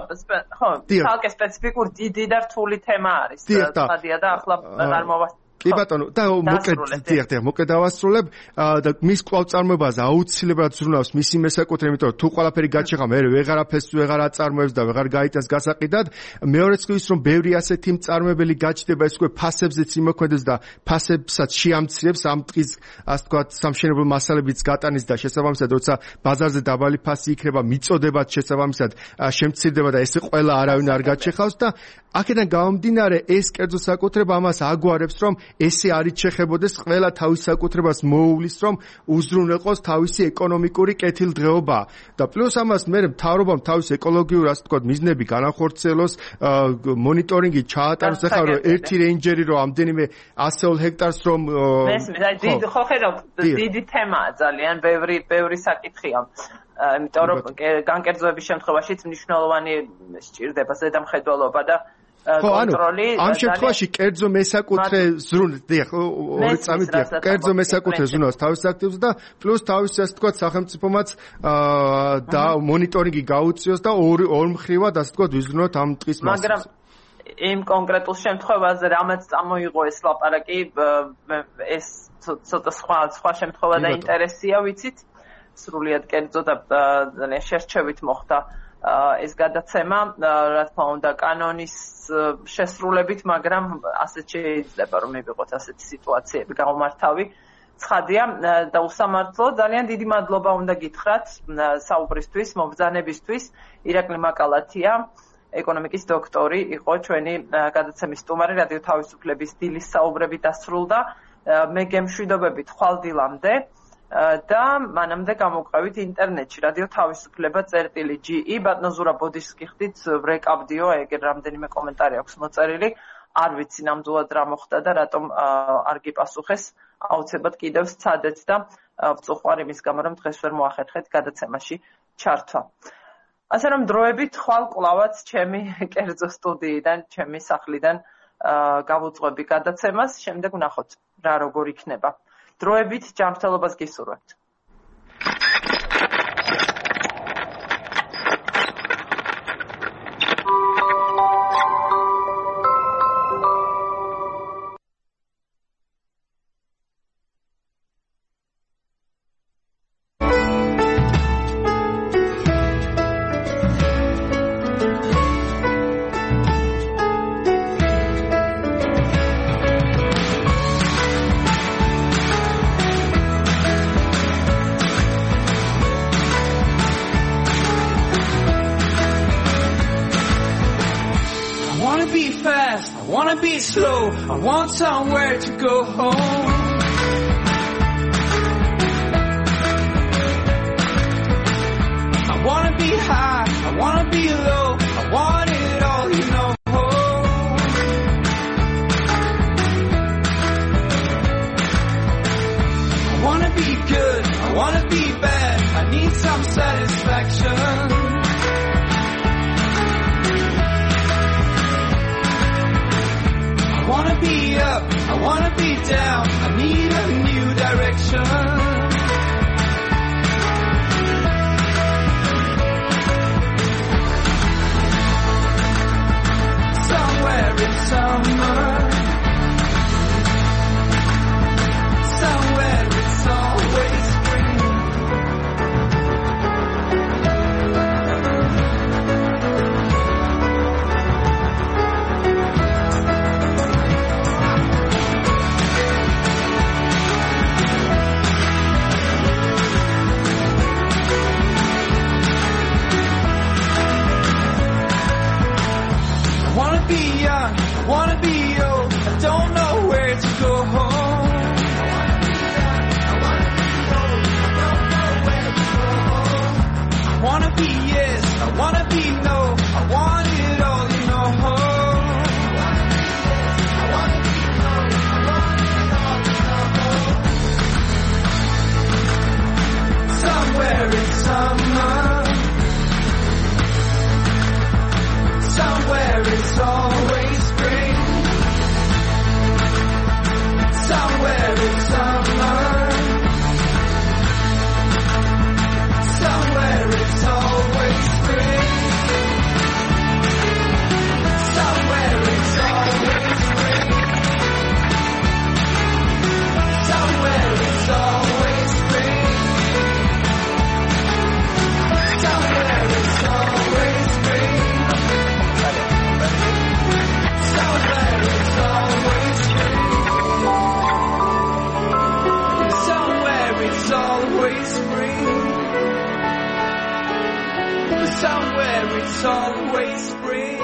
S1: ხო თალკე სპეციფიკურ დიდი და რთული თემა არის ხადია და ახლა არ მოვა
S5: კი ბატონო, და მოკლედ დიახ, დიახ, მოკლედ დავასრულებ და მის კვლავწარმოებაზე აუცილებლად ზრუნავს მისი მესაკუთრე, იმიტომ რომ თუ ყველაფერი გაჩეხა, მე ვეღარაფერს ვეღარ აწარმოებს და ვეღარ გაიტანს გასაყიდად. მეორეც კი ის რომ ბევრი ასეთი მწარმოებელი გაჩნდება, ეს უკვე ფასებზეც იმოქმედებს და ფასებსაც შეამცირებს ამ დღის, ასე ვთქვათ, სამშენებლო მასალებიც გატანის და შესაბამისად, როცა ბაზარზე დაბალი ფასი იქნება, მიწოდებაც შესაბამისად შემცირდება და ესე ყველა არავინ არ გაჩეხავს და აქედან გამომდინარე ეს კერძო საკუთრება ამას აგვარებს, რომ ესე არ იჩეხებოდეს, ყველა თავის საკუთრებას მოუვლის, რომ უზრუნველყოს თავისი ეკონომიკური კეთილდღეობა და პლუს ამას მე მთავრობამ თავის ეკოლოგიურ, ასე ვთქვათ, მიზნები განახორციელოს, მონიტორინგი ჩაატაროს, ახლა რომ ერთი რეინჯერი რომ ამდენიმე ასეულ ჰექტარს რომ
S1: მესმის, აი დიდი ხო ხედავ, დიდი თემაა ძალიან, ბევრი ბევრი საკითხია. იმიტომ რომ განკერძოების შემთხვევაშიც მნიშვნელოვანი სჭირდება ზედამხედველობა და კონტროლი.
S5: ამ შემთხვევაში კერძო მესაკუთრე ზრუნავს, დიახ, ორი წამით დიახ, კერძო მესაკუთრე ზრუნავს თავის აქტივს და პლუს თავის, ასე ვთქვათ, სახელმწიფომაც და მონიტორინგი გაუწიოს და ორი ორ მხრივად, ასე ვთქვათ, ვიზრუნოთ ამ ტყის მასას.
S1: მაგრამ იმ კონკრეტულ შემთხვევაზე რამაც წამოიღო ეს ლაპარაკი, ეს ცოტა სხვა სხვა შემთხვევა და ინტერესია, ვიცით? სრულიად კერძო და ძალიან შერჩევით მოხდა ეს გადაცემა, რა თქმა უნდა, კანონის შესრულებით, მაგრამ ასეთ შეიძლება რომ მივიღოთ ასეთი სიტუაციები გამომართავი. ცხადია და უსამართლო, ძალიან დიდი მადლობა უნდა გითხრათ საუბრისთვის, მომბრძანებისთვის. ირაკლი მაკალათია, ეკონომიკის დოქტორი, იყო ჩვენი გადაცემის სტუმარი, რადიო თავისუფლების დილის საუბრები დასრულდა. მე გემშვიდობებით ხვალდილამდე და მანამდე გამოვყევით ინტერნეტში რადიო თავისუფლება წერტილი ჯი ბატონო ზურაბ ბოდიშს გიხდით ვრეკავდიო, ეგერ რამდენიმე კომენტარი აქვს მოწერილი, არ ვიცი ნამდვილად რა მოხდა და რატომ არ გიპასუხეს, აუცილებლად კიდევ სცადეთ და ვწუხარ იმის გამო რომ დღეს ვერ მოახერხეთ გადაცემაში ჩართვა. ასე რომ დროებით ხვალ კლავაც ჩემი კერძო სტუდიიდან, ჩემი სახლიდან გავუძღვები გადაცემას, შემდეგ ვნახოთ რა როგორ იქნება. დროებით ჯანმრთელობას გისურვებთ.
S6: Slow, I want somewhere to go home. I wanna be high, I wanna be low, I want it all, you know. I wanna be good, I wanna be bad, I need some satisfaction. I wanna be up, I wanna be down, I need a new direction. Somewhere in summer, somewhere it's always spring. I wanna be young, I wanna be old, I don't know where to go home. I wanna be young, I wanna be old, I don't know where to go home. I wanna be yes, I wanna be no, I want it all, you know. I wanna be yes, I wanna be no, I want it all, you know. Somewhere in summer, somewhere it's always spring. Somewhere it's summer. Somewhere it's always spring. Somewhere it's always spring. somewhere it's always spring.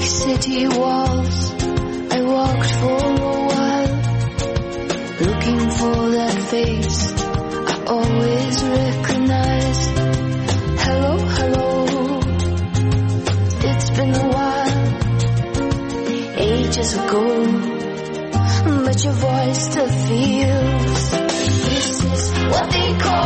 S7: City walls, I walked for a while, looking for that face I always recognized. Hello, hello, it's been a while, ages ago, but your voice still feels. This is what they call